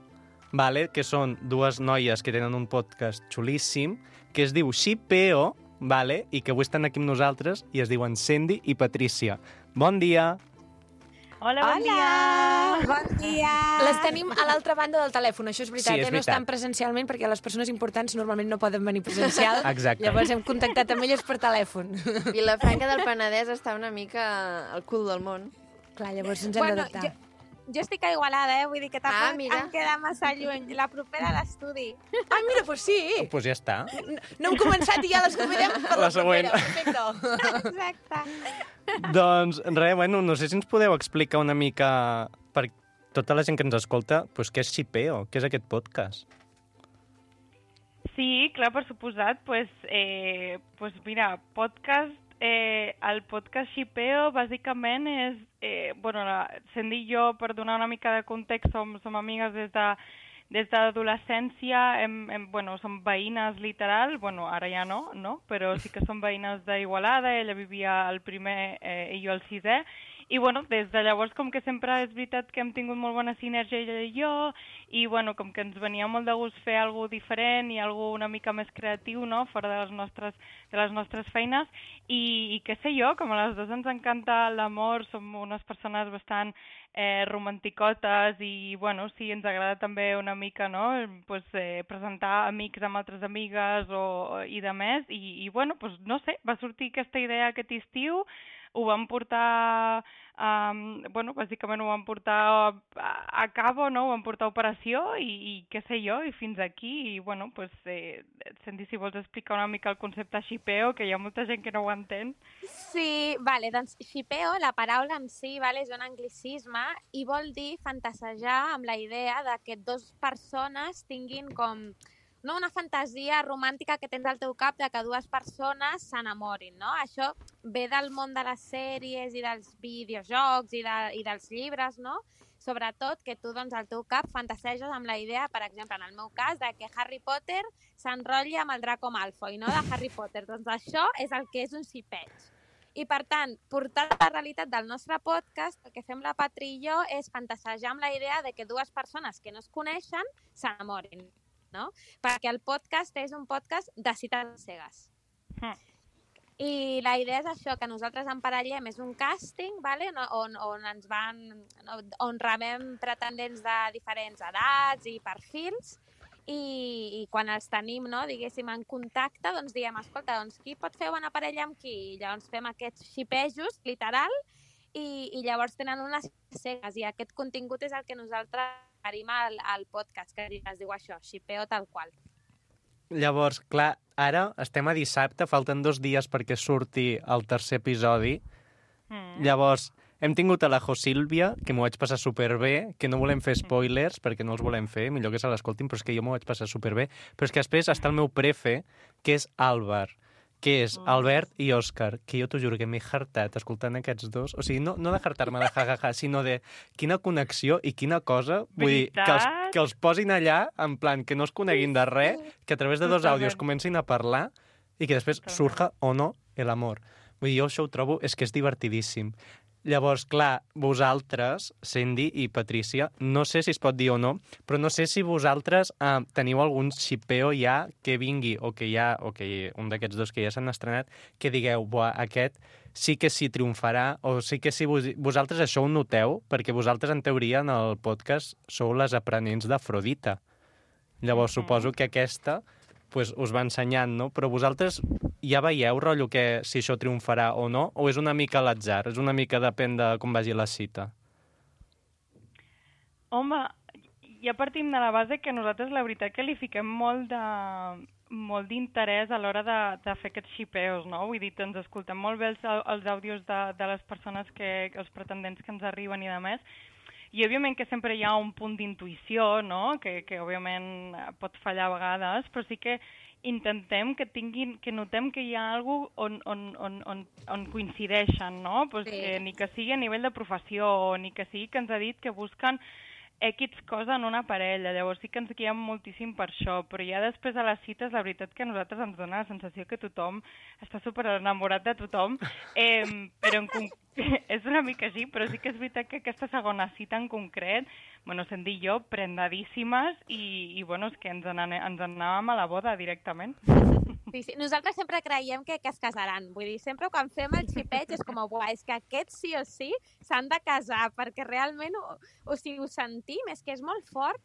vale? Que són dues noies que tenen un podcast xulíssim, que es diu Xipeo, vale? I que avui estan aquí amb nosaltres, i es diuen Cindy i Patrícia. Bon dia! Hola, bon dia! Bon dia! Les tenim a l'altra banda del telèfon, això és veritat, Sí, és no veritat. estan presencialment perquè les persones importants normalment no poden venir presencial. Exacte. Llavors hem contactat amb elles per telèfon. Vilafranca del Penedès està una mica al cul del món. Clar, llavors ens hem d'adaptar. Jo estic a Igualada, vull dir que tampoc mira. em queda massa lluny. La propera a l'estudi. Ah, mira, doncs sí. Doncs ja està. No hem començat i ja les convidem per la següent. propera. Perfecte. Exacte. Doncs res, bueno, no sé si ens podeu explicar una mica, per tota la gent que ens escolta, doncs què és Xipeo, què és aquest podcast? Sí, clar, per suposat. Pues mira, podcast... el podcast Xipeo bàsicament és... Cindy i jo, per donar una mica de context, som amigues des de l'adolescència, som veïnes literal, ara ja no, però sí que som veïnes d'Igualada, ella vivia al primer i jo al sisè, i des de llavors com que sempre és veritat que hem tingut molt bona sinergia ella i jo, i com que ens venia molt de gust fer alguna diferent i alguna una mica més creatiu, no?, fora de les nostres feines, i què sé jo, com a les dues ens encanta l'amor, som unes persones bastant romanticotes i, sí, ens agrada també una mica, no?, presentar amics amb altres amigues i de més, i no sé, va sortir aquesta idea aquest estiu, ho vam portar, bàsicament ho vam portar a cabo, no? Ho vam portar a operació i què sé jo, i fins aquí, i Cindy, si vols explicar una mica el concepte Xipeo, que hi ha molta gent que no ho entén. Sí, vale, doncs Xipeo, la paraula en si, vale, és un anglicisme i vol dir fantasejar amb la idea de que dues persones tinguin com... no una fantasia romàntica que tens al teu cap de que dues persones s'enamorin, no? Això ve del món de les sèries i dels videojocs i dels llibres, no? Sobretot que tu, doncs, al teu cap fantaseges amb la idea, per exemple, en el meu cas, de que Harry Potter s'enrotlli amb el Draco Malfoy, no?, de Harry Potter. Doncs això és el que és un xipeig. I, per tant, portar la realitat del nostre podcast, el que fem la Patri i jo és fantasejar amb la idea de que dues persones que no es coneixen s'enamorin, no? Perquè el podcast és un podcast de cites cegues. I la idea és això, que nosaltres emparellem, és un càsting, vale? on rebem pretendents de diferents edats i perfils, i quan els tenim, no, diguéssim, en contacte, doncs diem, escolta, doncs qui pot fer bona parella amb qui? I llavors fem aquests xipejos, literal, i llavors tenen unes cegues, i aquest contingut és el que nosaltres oferim al podcast, que es diu això, xipeo tal qual. Llavors, clar, ara estem a dissabte, falten 2 dies perquè surti el tercer episodi. Llavors, hem tingut a la Josílvia, que m'ho vaig passar superbé, que no volem fer spoilers, perquè no els volem fer, millor que se l'escoltin, però és que jo m'ho vaig passar superbé. Però és que després està el meu prefe, que és Àlvar, que és Albert i Òscar, que jo t'ho juro que m'he hartat escoltant aquests dos. O sigui, no de hartar-me de ja, sinó de quina connexió i quina cosa. Vull dir, que els posin allà, en plan, que no es coneguin de res, que a través de 2 àudios comencin a parlar i que després surja o no l'amor. Vull dir, jo això ho trobo, és que és divertidíssim. Llavors, clar, vosaltres, Cindy i Patrícia, no sé si es pot dir o no, però no sé si vosaltres teniu algun xipeo ja que vingui, o que un d'aquests dos que ja s'han estrenat, que digueu, buah, aquest sí que s'hi triomfarà, o sí que si vosaltres això ho noteu, perquè vosaltres, en teoria, en el podcast, sou les aprenents d'Afrodita. Llavors, suposo que aquesta pues, us va ensenyant, no? Però vosaltres ja veieu, rotllo, que si això triomfarà o no? O és una mica a l'atzar? És una mica depèn de com vagi la cita? Home, ja partim de la base que nosaltres la veritat que li fiquem molt d'interès a l'hora de fer aquests xipeos, no? Vull dir, ens escoltem molt bé els àudios de les persones, els pretendents que ens arriben i de més, i òbviament que sempre hi ha un punt d'intuïció, no? Que òbviament pot fallar a vegades, però sí que intentem que notem que hi ha alguna cosa on coincideixen, no? Pues sí. Que ni que sigui a nivell de professió, ni que sigui que ens ha dit que busquen X cosa en una parella, llavors sí que ens guiem moltíssim per això, però ja després a les cites la veritat que a nosaltres ens dona la sensació que tothom està super enamorat de tothom, però és una mica així, però sí que és veritat que aquesta segona cita en concret, bueno, sent dir jo, prendadíssimes i bueno, és que ens anàvem a la boda directament. Sí. Nosaltres sempre creiem que es casaran. Vull dir, sempre quan fem el xipeig és com, buah, és que aquests sí o sí s'han de casar, perquè realment ho sentim, és que és molt fort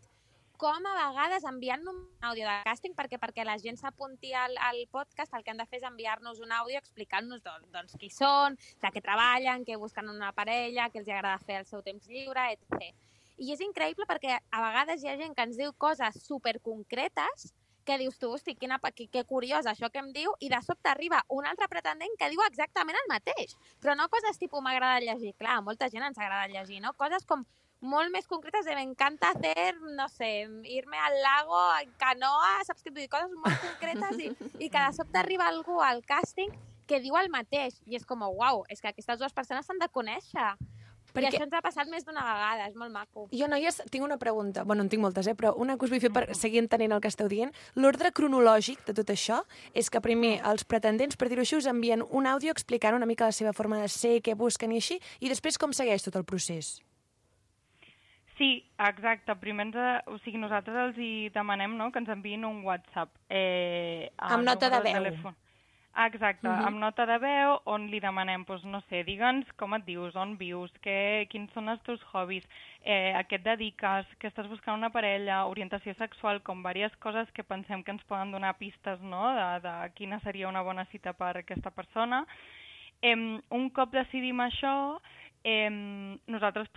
com a vegades enviant un àudio de càsting perquè la gent s'apunti al podcast, el que han de fer és enviar-nos un àudio explicant-nos doncs, qui són, de què treballen, què busquen una parella, què els agrada fer al seu temps lliure, etc. I és increïble perquè a vegades hi ha gent que ens diu coses superconcretes que dius tu, hosti, que curiós això que em diu, i de sobte arriba un altre pretendent que diu exactament el mateix. Però no coses tipus m'agrada llegir, clar, a molta gent ens agrada llegir, no? Coses com molt més concretes de me encanta hacer, no sé, irme al lago en canoa, saps què? Coses molt concretes i que de sobte arriba algú al càsting que diu el mateix. I és com, uau, és que aquestes dues persones s'han de conèixer. Perquè... I això ens ha passat més d'una vegada, és molt maco. Jo, noies, tinc una pregunta. Bueno, en tinc moltes, però una que us vull fer per seguir entenent el que esteu dient. L'ordre cronològic de tot això és que primer els pretendents, per dir-ho així, us envien un àudio explicant una mica la seva forma de ser, què busquen i així, i després com segueix tot el procés? Sí, exacte. Primer nosaltres els hi demanem, no?, que ens enviïn un WhatsApp. Amb nota de veu. Exacte, amb nota de veu, on li demanem, doncs, no sé, digue'ns com et dius, on vius, quins són els teus hobbies, a què et dediques, que estàs buscant una parella, orientació sexual, com diverses coses que pensem que ens poden donar pistes, no?, de quina seria una bona cita per a aquesta persona. Un cop decidim això, nosaltres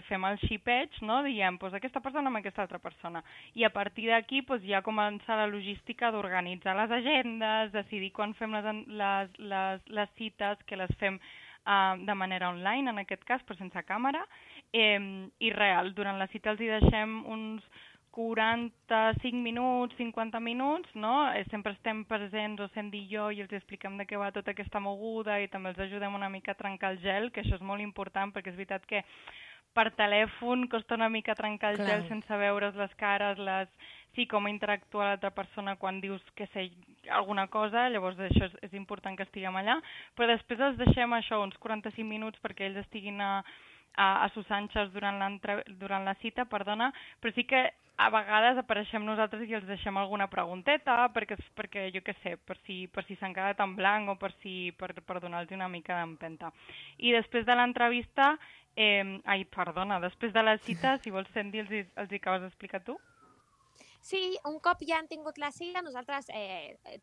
fem el xipeig, no? Diem aquesta persona amb aquesta altra persona, i a partir d'aquí ja comença la logística d'organitzar les agendes, decidir quan fem les cites, que les fem de manera online, en aquest cas, però sense càmera, i real, durant la cita els hi deixem uns 45 minuts, 50 minuts, no? Sempre estem presents, o sent dir jo, i els expliquem de què va tota aquesta moguda i també els ajudem una mica a trencar el gel, que això és molt important, perquè és veritat que per telèfon costa una mica trencar el gel sense veure's les cares, sí, com interactua l'altra persona quan dius que sé alguna cosa, llavors això és important que estiguem allà, però després els deixem això, uns 45 minuts perquè ells estiguin a sus anxes durant la cita, però sí que a vegades apareixem nosaltres i els deixem alguna pregunteta, perquè jo què sé, per si s'han quedat en blanc o per donar-los una mica d'empenta. I després de l'entrevista, després de la cita, si vols, Sandy, els hi acabes d'explicar tu? Sí, un cop ja han tingut la cita, nosaltres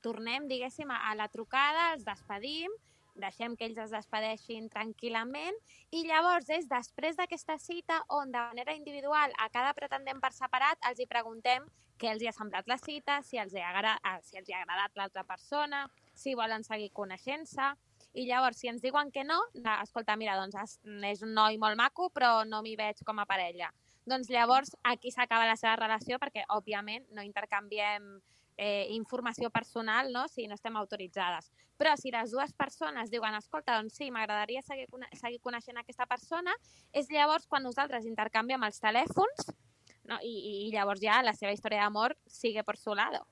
tornem, diguéssim, a la trucada, els despedim, deixem que ells es despedeixin tranquil·lament i llavors és després d'aquesta cita on de manera individual a cada pretendent per separat els hi preguntem què els hi ha semblat la cita, si els hi ha agradat l'altra persona, si volen seguir coneixent-se. I llavors, si ens diuen que no, escolta, mira, doncs és un noi molt maco, però no m'hi veig com a parella. Doncs llavors aquí s'acaba la seva relació perquè, òbviament, no intercanviem informació personal, no?, si no estem autoritzades. Però si les dues persones diuen, escolta, doncs sí, m'agradaria seguir coneixent aquesta persona, és llavors quan nosaltres intercanviem els telèfons, no? I llavors ja la seva història d'amor sigue por su lado.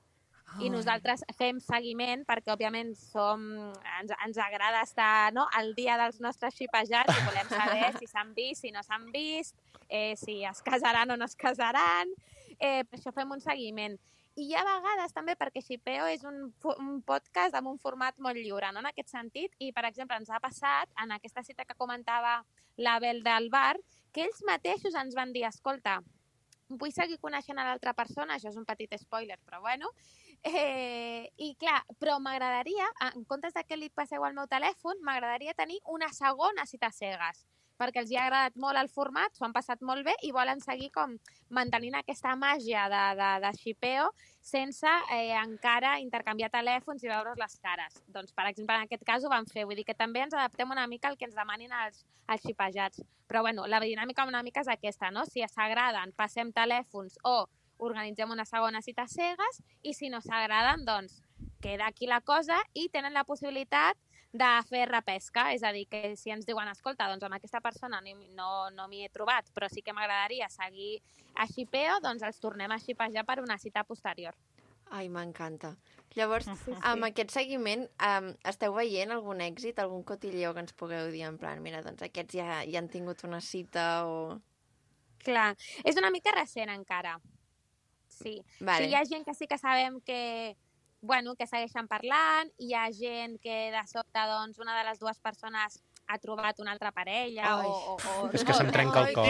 I nosaltres fem seguiment perquè, òbviament, ens agrada estar, no?, al dia dels nostres xipejats i volem saber si s'han vist, si no s'han vist, si es casaran o no es casaran. Per això fem un seguiment. I hi ha vegades també perquè Xipeo és un podcast amb un format molt lliure, no?, en aquest sentit. I, per exemple, ens ha passat, en aquesta cita que comentava l'Abel del bar, que ells mateixos ens van dir, escolta, vull seguir coneixent a l'altra persona, això és un petit spoiler, però bueno. I clar, però m'agradaria, en comptes que li passeu al meu telèfon, m'agradaria tenir una segona cita cegues, perquè els hi ha agradat molt el format, s'ho han passat molt bé i volen seguir com mantenint aquesta màgia de Xipeo sense encara intercanviar telèfons i veure's les cares. Doncs, per exemple, en aquest cas ho vam fer. Vull dir que també ens adaptem una mica al que ens demanin els xipejats. Però, bueno, la dinàmica una mica és aquesta, no? Si s'agraden, passem telèfons o organitzem una segona cita cegues i si no s'agraden, doncs queda aquí la cosa i tenen la possibilitat de fer repesca, és a dir, que si ens diuen, escolta, doncs amb aquesta persona no m'hi he trobat, però sí que m'agradaria seguir a Xipeo, doncs els tornem a xipejar per una cita posterior. Ai, m'encanta. Llavors, amb aquest seguiment, esteu veient algun èxit, algun cotilleo que ens pugueu dir, en plan, mira, doncs aquests ja han tingut una cita o... Clar, és una mica recent encara. Sí. Vale. Sí, hi ha gent que sí que sabem que segueixen parlant, hi ha gent que de sobte, doncs, una de les dues persones ha trobat una altra parella és que se'm trenca el cor.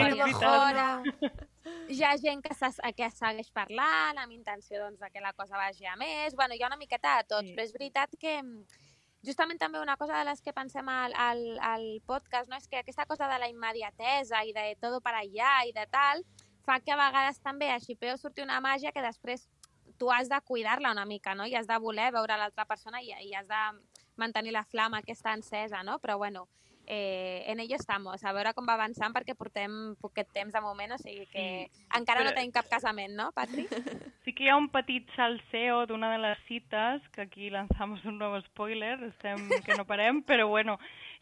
Hi ha gent que segueix parlant amb intenció, doncs, que la cosa vagi a més. Bueno, hi ha una miqueta de tots, però és veritat que justament també una cosa de les que pensem al podcast, no? És que aquesta cosa de la immediatesa i de tot per allà i de tal, fa que a vegades també a Xipeo surti una màgia que després tu has de cuidar-la una mica, no? I has de voler veure l'altra persona i has de mantenir la flama aquesta encesa, no? Però, bueno, en ello estamos. A veure com va avançant perquè portem poquet temps de moment, o sigui que encara no tenim cap casament, no, Patri? Sí que hi ha un petit salseo d'una de les cites, que aquí lanzamos un nuevo spoiler, estem que no parem, però bueno,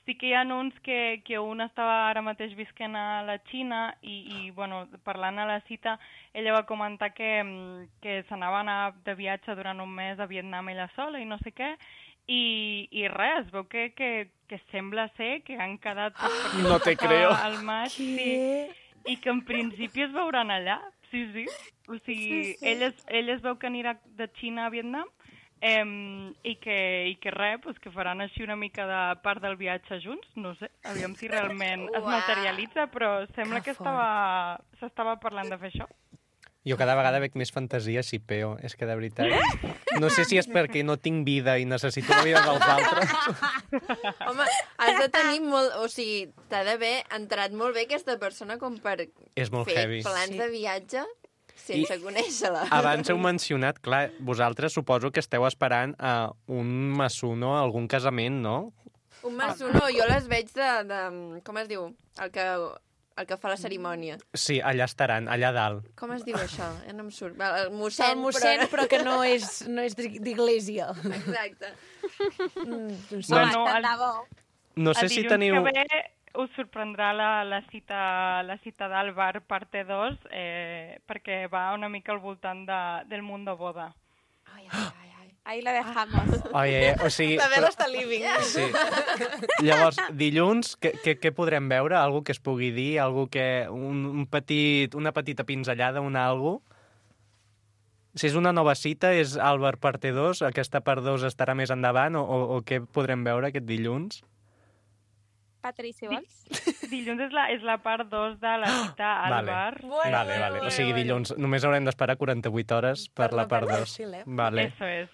sí que hi ha uns que un estava ara mateix visquent a la Xina i bueno, parlant a la cita, ella va comentar que s'anava a anar de viatge durant un mes a Vietnam ella sola i no sé què, i res, es veu que sembla ser que han quedat no te creo al maig, sí, i que en principi es veuran allà, sí. O sigui, ell es veu que anirà de Xina a Vietnam i que res, pues, que faran així una mica de part del viatge junts, no sé, aviam si realment es materialitza, però sembla que s'estava parlant de fer això. Jo cada vegada veig més fantasia a Xipeo, és que de veritat... No sé si és perquè no tinc vida i necessito la vida dels altres. Home, has de tenir molt... O sigui, t'ha d'haver entrat molt bé aquesta persona com per fer plans de viatge sense conèixer-la. Abans heu mencionat, clar, vosaltres suposo que esteu esperant a un masuno, a algun casament, no? Un masuno, jo les veig de com es diu? El que fa la cerimònia. Sí, allà estaran, allà dalt. Com es diu això? Ja no em surt. El mossèn, però que no és d'iglésia. Exacte. No sé si teniu... Us sorprendrà la cita d'Àlvar, parte 2, perquè va una mica al voltant del mundo boda. Ahí la dejamos. O sigui... La Bel està living. Sí. Llavors, dilluns, què podrem veure? Algú que es pugui dir? Algú que... una petita pinzellada, algú? Si és una nova cita, és Àlvar parte 2, aquesta part 2 estarà més endavant, o què podrem veure aquest dilluns? Patri, si vols. Dilluns és la part 2 de la cita al bar. Vale. O sigui, dilluns només haurem d'esperar 48 hores per la part 2. Vale. Eso és.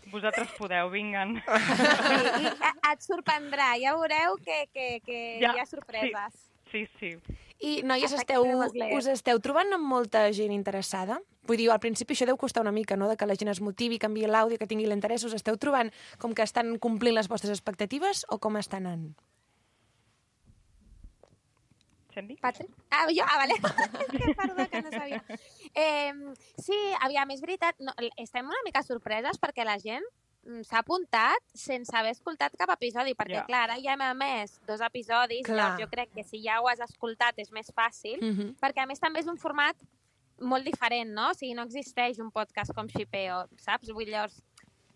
Vosaltres podeu, vinguen. I et sorprendrà, ja veureu que hi ha sorpreses. Sí. I, noies, us esteu trobant amb molta gent interessada? Vull dir, al principi això deu costar una mica, no?, de que la gent es motivi, canviï l'àudio, que tingui l'interès. Us esteu trobant com que estan complint les vostres expectatives o com estan anant? Patri? Jo? Vale. Perdó, que no sabia. Sí, aviam, és veritat, estem una mica sorpreses perquè la gent s'ha apuntat sense haver escoltat cap episodi, perquè, clar, ara ja hem emès 2 episodis, llavors jo crec que si ja ho has escoltat és més fàcil, perquè a més també és un format molt diferent, no? O sigui, no existeix un podcast com Shipeo, saps? Vull dir, llavors,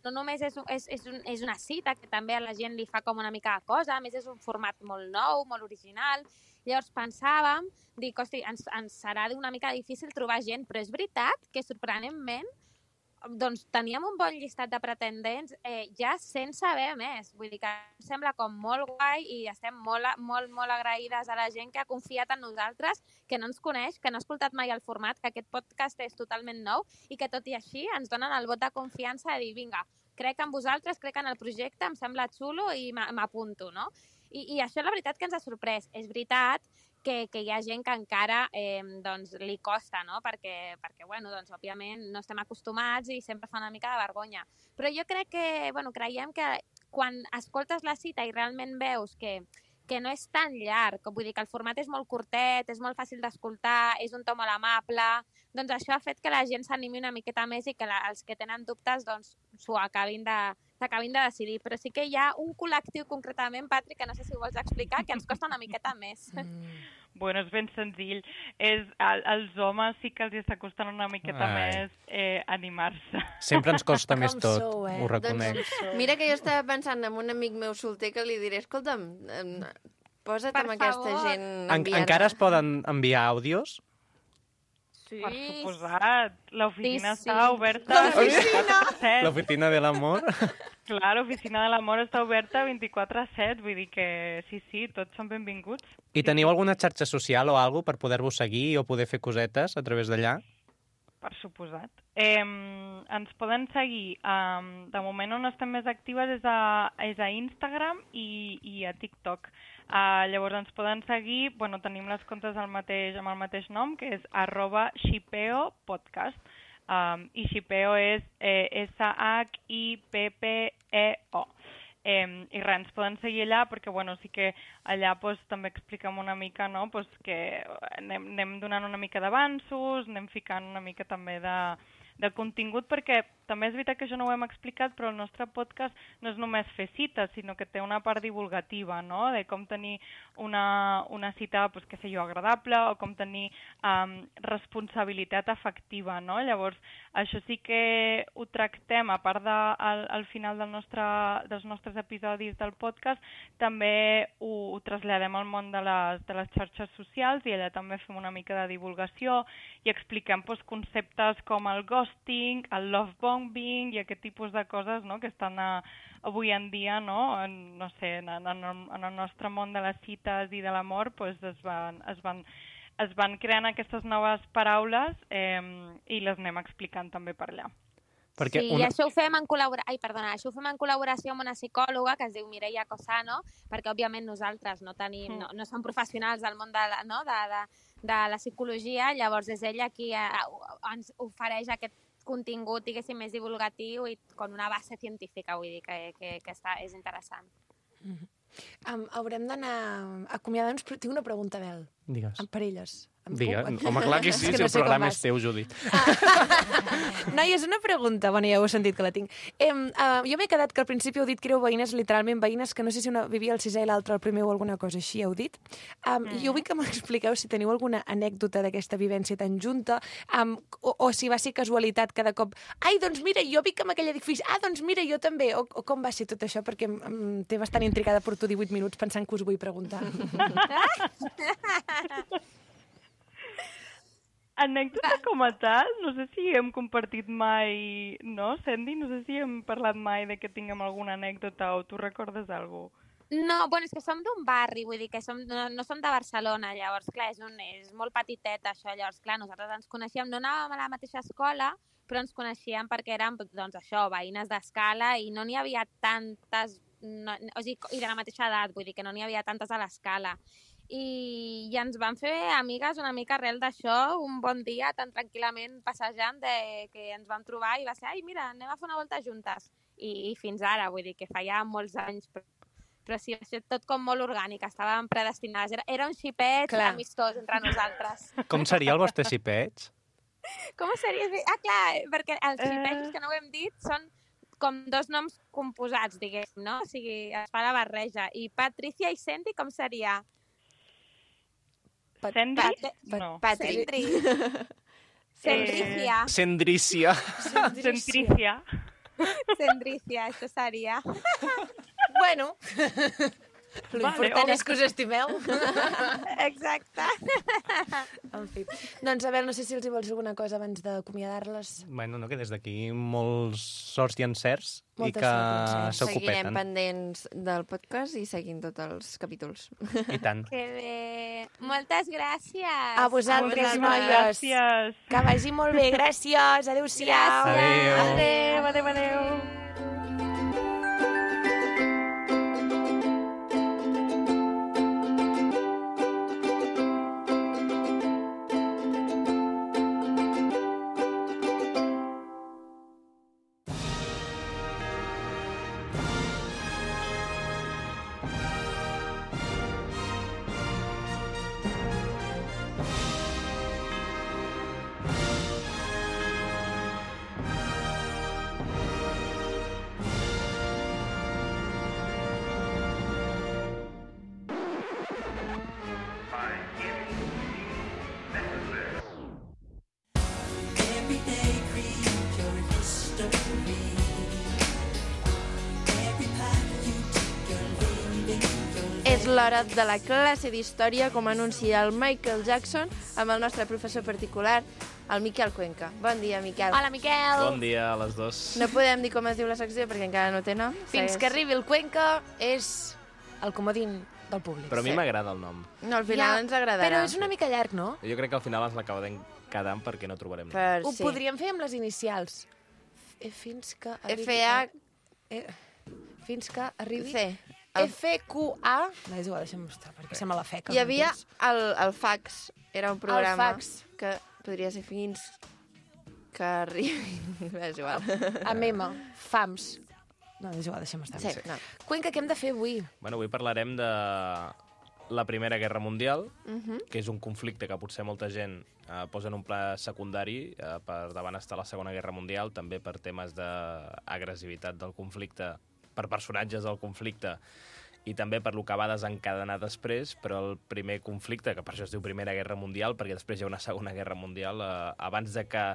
no només és una cita, que també a la gent li fa com una mica de cosa, a més és un format molt nou, molt original. Llavors pensàvem, dic, hosti, ens serà una mica difícil trobar gent, però és veritat que sorprenentment doncs teníem un bon llistat de pretendents ja sense saber més. Vull dir que em sembla com molt guai i estem molt agraïdes a la gent que ha confiat en nosaltres, que no ens coneix, que no ha escoltat mai el format, que aquest podcast és totalment nou i que tot i així ens donen el vot de confiança de dir, vinga, crec en vosaltres, crec en el projecte, em sembla xulo i m'apunto, no? I això la veritat que ens ha sorprès. És veritat que hi ha gent que encara doncs, li costa, no? Perquè bueno, doncs, òbviament no estem acostumats i sempre fa una mica de vergonya. Però jo crec que, bueno, creiem que quan escoltes la cita i realment veus que no és tan llarg, vull dir que el format és molt curtet, és molt fàcil d'escoltar, és un to molt amable, doncs això ha fet que la gent s'animi una miqueta més i que els que tenen dubtes doncs s'ho acabin de decidir. Però sí que hi ha un col·lectiu concretament, Patri, que no sé si ho vols explicar, que ens costa una miqueta més. Bueno, és ben senzill. Els homes sí que els està costant una miqueta més animar-se. Sempre ens costa més tot, ho reconec. Doncs, mira que jo estava pensant en un amic meu solter que li diré, escolta'm, posa't amb aquesta gent enviant. Encara es poden enviar àudios? Sí. Per suposat. L'oficina està oberta. L'oficina de l'amor? Clar, l'oficina de l'amor està oberta 24/7, vull dir que sí, tots són benvinguts. I teniu alguna xarxa social o alguna per poder-vos seguir o poder fer cosetes a través d'allà? Per suposat. Ens poden seguir. De moment on estem més actives és a Instagram i a TikTok. Llavors ens poden seguir, bueno, tenim les comptes amb el mateix nom, que és @shipeopodcast. I Shipeo és SHIPPEO. I res, ens poden seguir allà perquè bueno, sí que allà també expliquem una mica, no? Que anem donant una mica d'avanços, anem ficant una mica també de contingut, perquè també és veritat que això no ho hem explicat, però el nostre podcast no és només fer cites, sinó que té una part divulgativa, no? De com tenir una cita, que sé jo, agradable, o com tenir responsabilitat afectiva, no? Llavors, això sí que ho tractem, a part al final dels nostres episodis del podcast, també ho traslladem al món de les xarxes socials i allà també fem una mica de divulgació i expliquem conceptes com el ghosting, el love bombing i aquest tipus de coses, no?, que estan avui en dia, no sé, en el nostre món de les cites i de l'amor, es van creant aquestes noves paraules i les anem explicant també per allà. Sí, i això ho fem en col·laboració amb una psicòloga que es diu Mireia Cosano, perquè òbviament nosaltres no som professionals del món de la psicologia, llavors és ella qui ens ofereix aquest contingut, diguéssim, més divulgatiu i con una base científica, vull dir que és interessant. Haurem d'anar acomiadant-nos, però tinc una pregunta, Bel. Digues. Per elles. Home, clar que sí, si el programa és teu, Judit. Noies, una pregunta. Bueno, ja ho he sentit que la tinc. Jo m'he quedat que al principi heu dit que éreu veïnes, literalment veïnes, que no sé si una vivia al 6è i l'altra al primer o alguna cosa així, heu dit. Jo vull que m'expliqueu si teniu alguna anècdota d'aquesta vivència tan junta, o si va ser casualitat cada cop. Ai, doncs mira, jo vic en aquell edifici. Ah, doncs mira, jo també. O com va ser tot això? Perquè té bastant intrigada, porto 18 minuts pensant que us vull preguntar. Anècdota com a tal, no sé si hem compartit mai, no, Sandy? No sé si hem parlat mai de que tinguem alguna anècdota o tu recordes alguna cosa? No, bueno, és que som d'un barri, vull dir que no som de Barcelona, llavors, clar, és molt petitet això, llavors, clar, nosaltres ens coneixíem, no anàvem a la mateixa escola, però ens coneixíem perquè érem, doncs això, veïnes d'escala i no n'hi havia tantes, o sigui, i de la mateixa edat, vull dir que no n'hi havia tantes a l'escala. I ens van fer amigues una mica arrel d'això, un bon dia, tan tranquil·lament passejant, que ens vam trobar i va ser, ai, mira, anem a fer una volta juntes. I fins ara, vull dir que feia molts anys, però sí, va ser tot com molt orgànic, estàvem predestinades. Era un xipet amistós entre nosaltres. Com seria el vostre xipet? Com seria? Ah, clar, perquè els xipets, que no ho hem dit, són com dos noms composats, diguéssim, no? O sigui, es fa la barreja. I Patricia i Sandy, com seria? Sandy? No. Patri. Sendrícia. Sendrícia. Sendrícia. Sendrícia, això seria. Bueno, l'important és que us estimeu. Exacte. En fi. Doncs, a veure, no sé si els hi vols alguna cosa abans d'acomiadar-les. Bueno, no, que des d'aquí molts sorts i encerts i que s'ocupeten. Seguirem pendents del podcast i seguint tots els capítols. I tant. Que bé. Moltes gràcies. A vosaltres, noies. Gràcies. Que vagi molt bé. Gràcies. Adéu-siau. Adéu. Adéu. És l'hora de la classe d'història, com anuncia el Michael Jackson, amb el nostre professor particular, el Miquel Cuenca. Bon dia, Miquel. Hola, Miquel. Bon dia a les dos. No podem dir com es diu la secció perquè encara no té nom. Fins que arribi el Cuenca és el comodín del públic. Però a mi m'agrada el nom. No, al final ens agradarà. Però és una mica llarg, no? Jo crec que al final ens l'acabarem quedant perquè no trobarem nom. Ho podríem fer amb les inicials. Fins que arribi... Fins que arribi... C. FQA... No, és igual, deixa'm mostrar, perquè sembla la feca. Hi havia el fax, era un programa el fax. Que podria ser fins que arribi... És igual. Amb M, FAMS. No, és igual, deixa'm estar. Sí, no. Cuenca, què hem de fer avui? Bueno, avui parlarem de la Primera Guerra Mundial, que és un conflicte que potser molta gent posa en un pla secundari per davant estar la Segona Guerra Mundial, també per temes d'agressivitat del conflicte, per personatges del conflicte, i també per lo que va desencadenar després, però el primer conflicte, que per això es diu Primera Guerra Mundial, perquè després hi ha una Segona Guerra Mundial, abans de que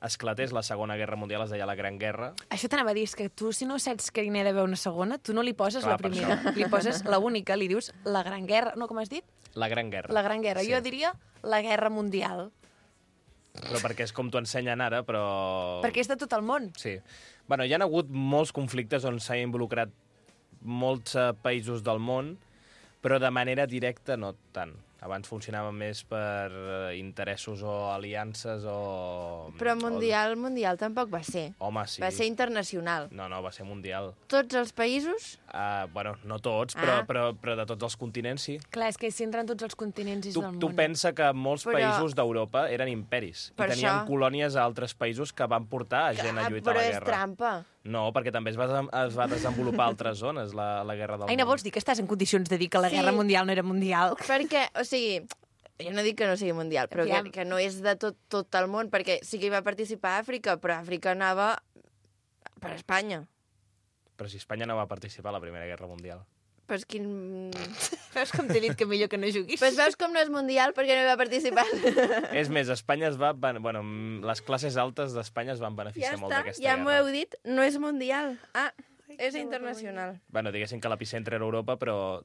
esclatés la Segona Guerra Mundial es deia la Gran Guerra. Això t'anava a dir, és que tu, si no saps que n'hi ha d'haver una segona, tu no li poses la primera, li poses la única, li dius la Gran Guerra, no, com has dit? La Gran Guerra. La Gran Guerra. Sí. Jo diria la Guerra Mundial. Però perquè és com t'ho ensenyen ara, però... Perquè és de tot el món. Sí. Bueno, hi ha hagut molts conflictes on s'ha involucrat molts països del món, però de manera directa no tant. Abans funcionava més per interessos o aliances o... Però mundial tampoc va ser. Home, sí. Va ser internacional. No, va ser mundial. Tots els països? Bueno, no tots, però de tots els continents, sí. Clar, és que si entren tots els continents del món. Tu pensa que molts països d'Europa eren imperis i tenien colònies a altres països que van portar gent a lluitar a la guerra. Però és trampa. No, perquè també es va desenvolupar a altres zones, la guerra del món. Aina, vols dir que estàs en condicions de dir que la guerra mundial no era mundial? Perquè, o sigui, jo no dic que no sigui mundial, però que no és de tot el món, perquè sí que hi va participar Àfrica, però Àfrica anava per Espanya. Però si Espanya no va participar a la Primera Guerra Mundial. Però és quin... Veus com t'he dit que millor que no juguis? Però veus com no és mundial perquè no hi va participar. És més, Espanya es va... Bueno, les classes altes d'Espanya es van beneficiar molt d'aquesta guerra. Ja m'ho heu dit, no és mundial. És internacional. Bueno, diguéssim que l'epicentre era Europa, però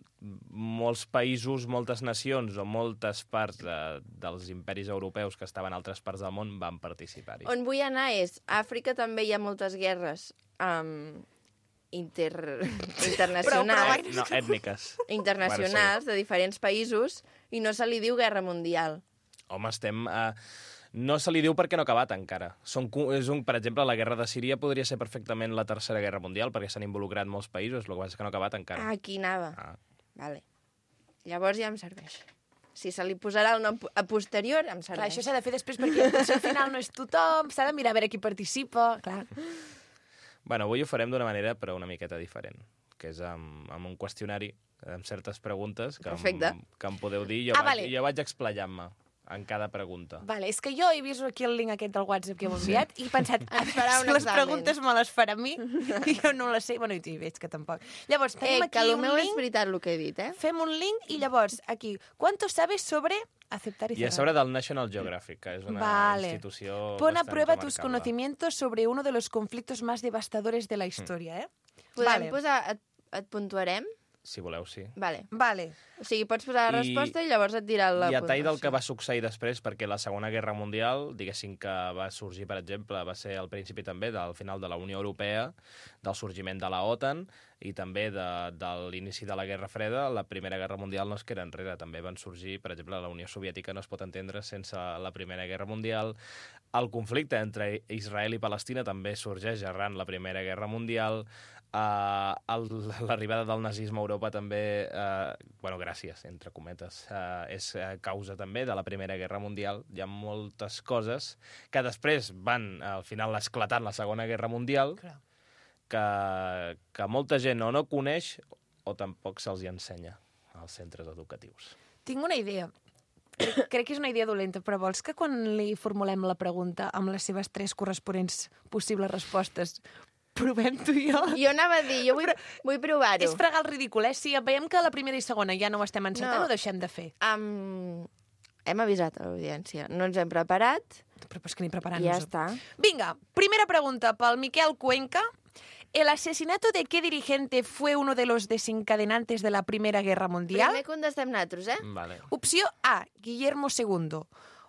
molts països, moltes nacions o moltes parts dels imperis europeus que estaven a altres parts del món van participar-hi. On vull anar és, a Àfrica també hi ha moltes guerres internacionals. No, ètniques. Internacionals, de diferents països, i no se li diu guerra mundial. Home, estem... No se li diu perquè no ha acabat encara. Per exemple, la guerra de Síria podria ser perfectament la tercera guerra mundial, perquè s'han involucrat molts països, el que passa és que no ha acabat encara. Aquí anava. Vale. Llavors ja em serveix. Si se li posarà el nom a posterior, em serveix. Clar, això s'ha de fer després, perquè potser al final no és tothom, s'ha de mirar a veure qui participa, clar. Bueno, avui ho farem d'una manera, però una miqueta diferent, que és amb un qüestionari, amb certes preguntes que em podeu dir, i jo vaig explayant-me en cada pregunta. Vale, és que jo he vist aquí el link aquest del WhatsApp que heu enviat i he pensat, les examen. preguntes me les farà a mi i jo no les sé. Bueno, i veig que tampoc. Llavors, tenim aquí que el un meu link. és veritat el que he dit, Fem un link i llavors, aquí, ¿cuánto sabes sobre aceptar y cerrar? I a sobre del National Geographic, que és una institució Pon a bastant prueba tus remarcable. conocimientos sobre uno de los conflictos más devastadores de la historia, Podem posar... Et puntuarem? Si voleu, sí. Vale. O sigui, pots posar la resposta i llavors et dirà la puntuació. I a tall del que va succeir després, perquè la Segona Guerra Mundial, diguéssim que va sorgir, per exemple, va ser al principi també del final de la Unió Europea, del sorgiment de la OTAN, i també de l'inici de la Guerra Freda, la Primera Guerra Mundial no es queda enrere. També van sorgir, per exemple, la Unió Soviètica no es pot entendre sense la Primera Guerra Mundial. El conflicte entre Israel i Palestina també sorgeix arran la Primera Guerra Mundial. L'arribada del nazisme a Europa també, gràcies, entre cometes, és causa també de la Primera Guerra Mundial. Hi ha moltes coses que després van, al final, esclatant la Segona Guerra Mundial, que molta gent o no coneix o tampoc se'ls hi ensenya als centres educatius. Tinc una idea. Crec que és una idea dolenta, però vols que quan li formulem la pregunta amb les seves 3 corresponents possibles respostes provem tu i jo? Jo anava a dir, jo vull provar-ho. És fregar el ridícul, Si veiem que la primera i segona ja no ho estem encertant, ho deixem de fer. Hem avisat a l'audiència. No ens hem preparat. Però és que ni preparant-nos. Ja està. Vinga, primera pregunta pel Miquel Cuenca. ¿El asesinato de qué dirigente fue uno de los desencadenantes de la Primera Guerra Mundial? Primer contestem nosaltres, Vale. Opció A, Guillermo II.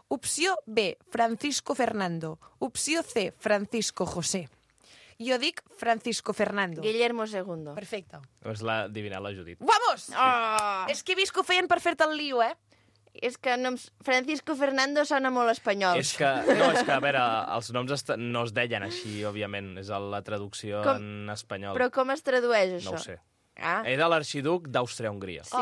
Opció B, Francisco Fernando. Opció C, Francisco José. Jo dic Francisco Fernando. Guillermo II. Perfecte. És l'adivinat la Judit. Vamos! És que he vist que ho feien per fer-te el lío, És que Francisco Fernando sona molt espanyol. És que, a veure, els noms no es deien així, òbviament. És la traducció en espanyol. Però com es tradueix, això? No ho sé. Era l'arxiduc d'Àustria-Hongria. Sí.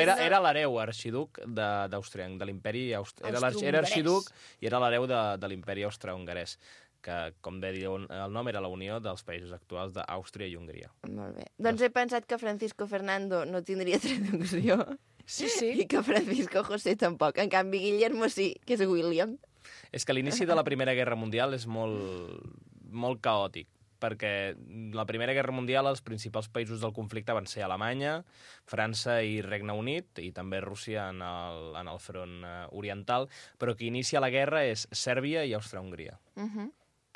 Era l'hereu arxiduc d'Àustria, de l'imperi austro-hongarès. Era arxiduc i era l'hereu de l'imperi austro-hongarès, que, com deia el nom, era la unió dels països actuals d'Àustria i Hongria. Molt bé. Doncs he pensat que Francisco Fernando no tindria traducció. Sí. I que Francisco José tampoc. En canvi, Guillermo sí, que és William. És que l'inici de la Primera Guerra Mundial és molt caòtic, perquè la Primera Guerra Mundial els principals països del conflicte van ser Alemanya, França i Regne Unit, i també Rússia en el front oriental, però qui inicia la guerra és Sèrbia i Àustria-Hongria.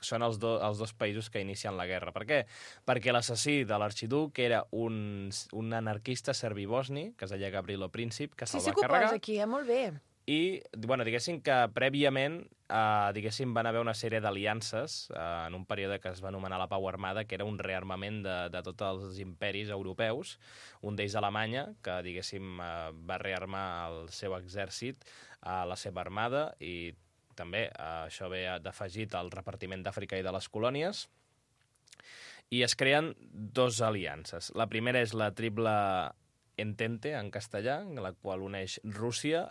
Són els dos països que inicien la guerra. Per què? Perquè l'assassí de l'arxiduc era un anarquista serbi-bosni, que es deia Gavrilo Princip, que se'l va carregar. Sí, aquí, molt bé. I, diguéssim que prèviament van haver una sèrie d'aliances en un període que es va anomenar la Pau Armada, que era un rearmament de tots els imperis europeus, un d'ells Alemanya, que, diguéssim, va rearmar el seu exèrcit, la seva armada, i també això ve d'afegit al repartiment d'Àfrica i de les colònies, i es creen 2 aliances. La primera és la Triple Entente, en castellà, la qual uneix Rússia,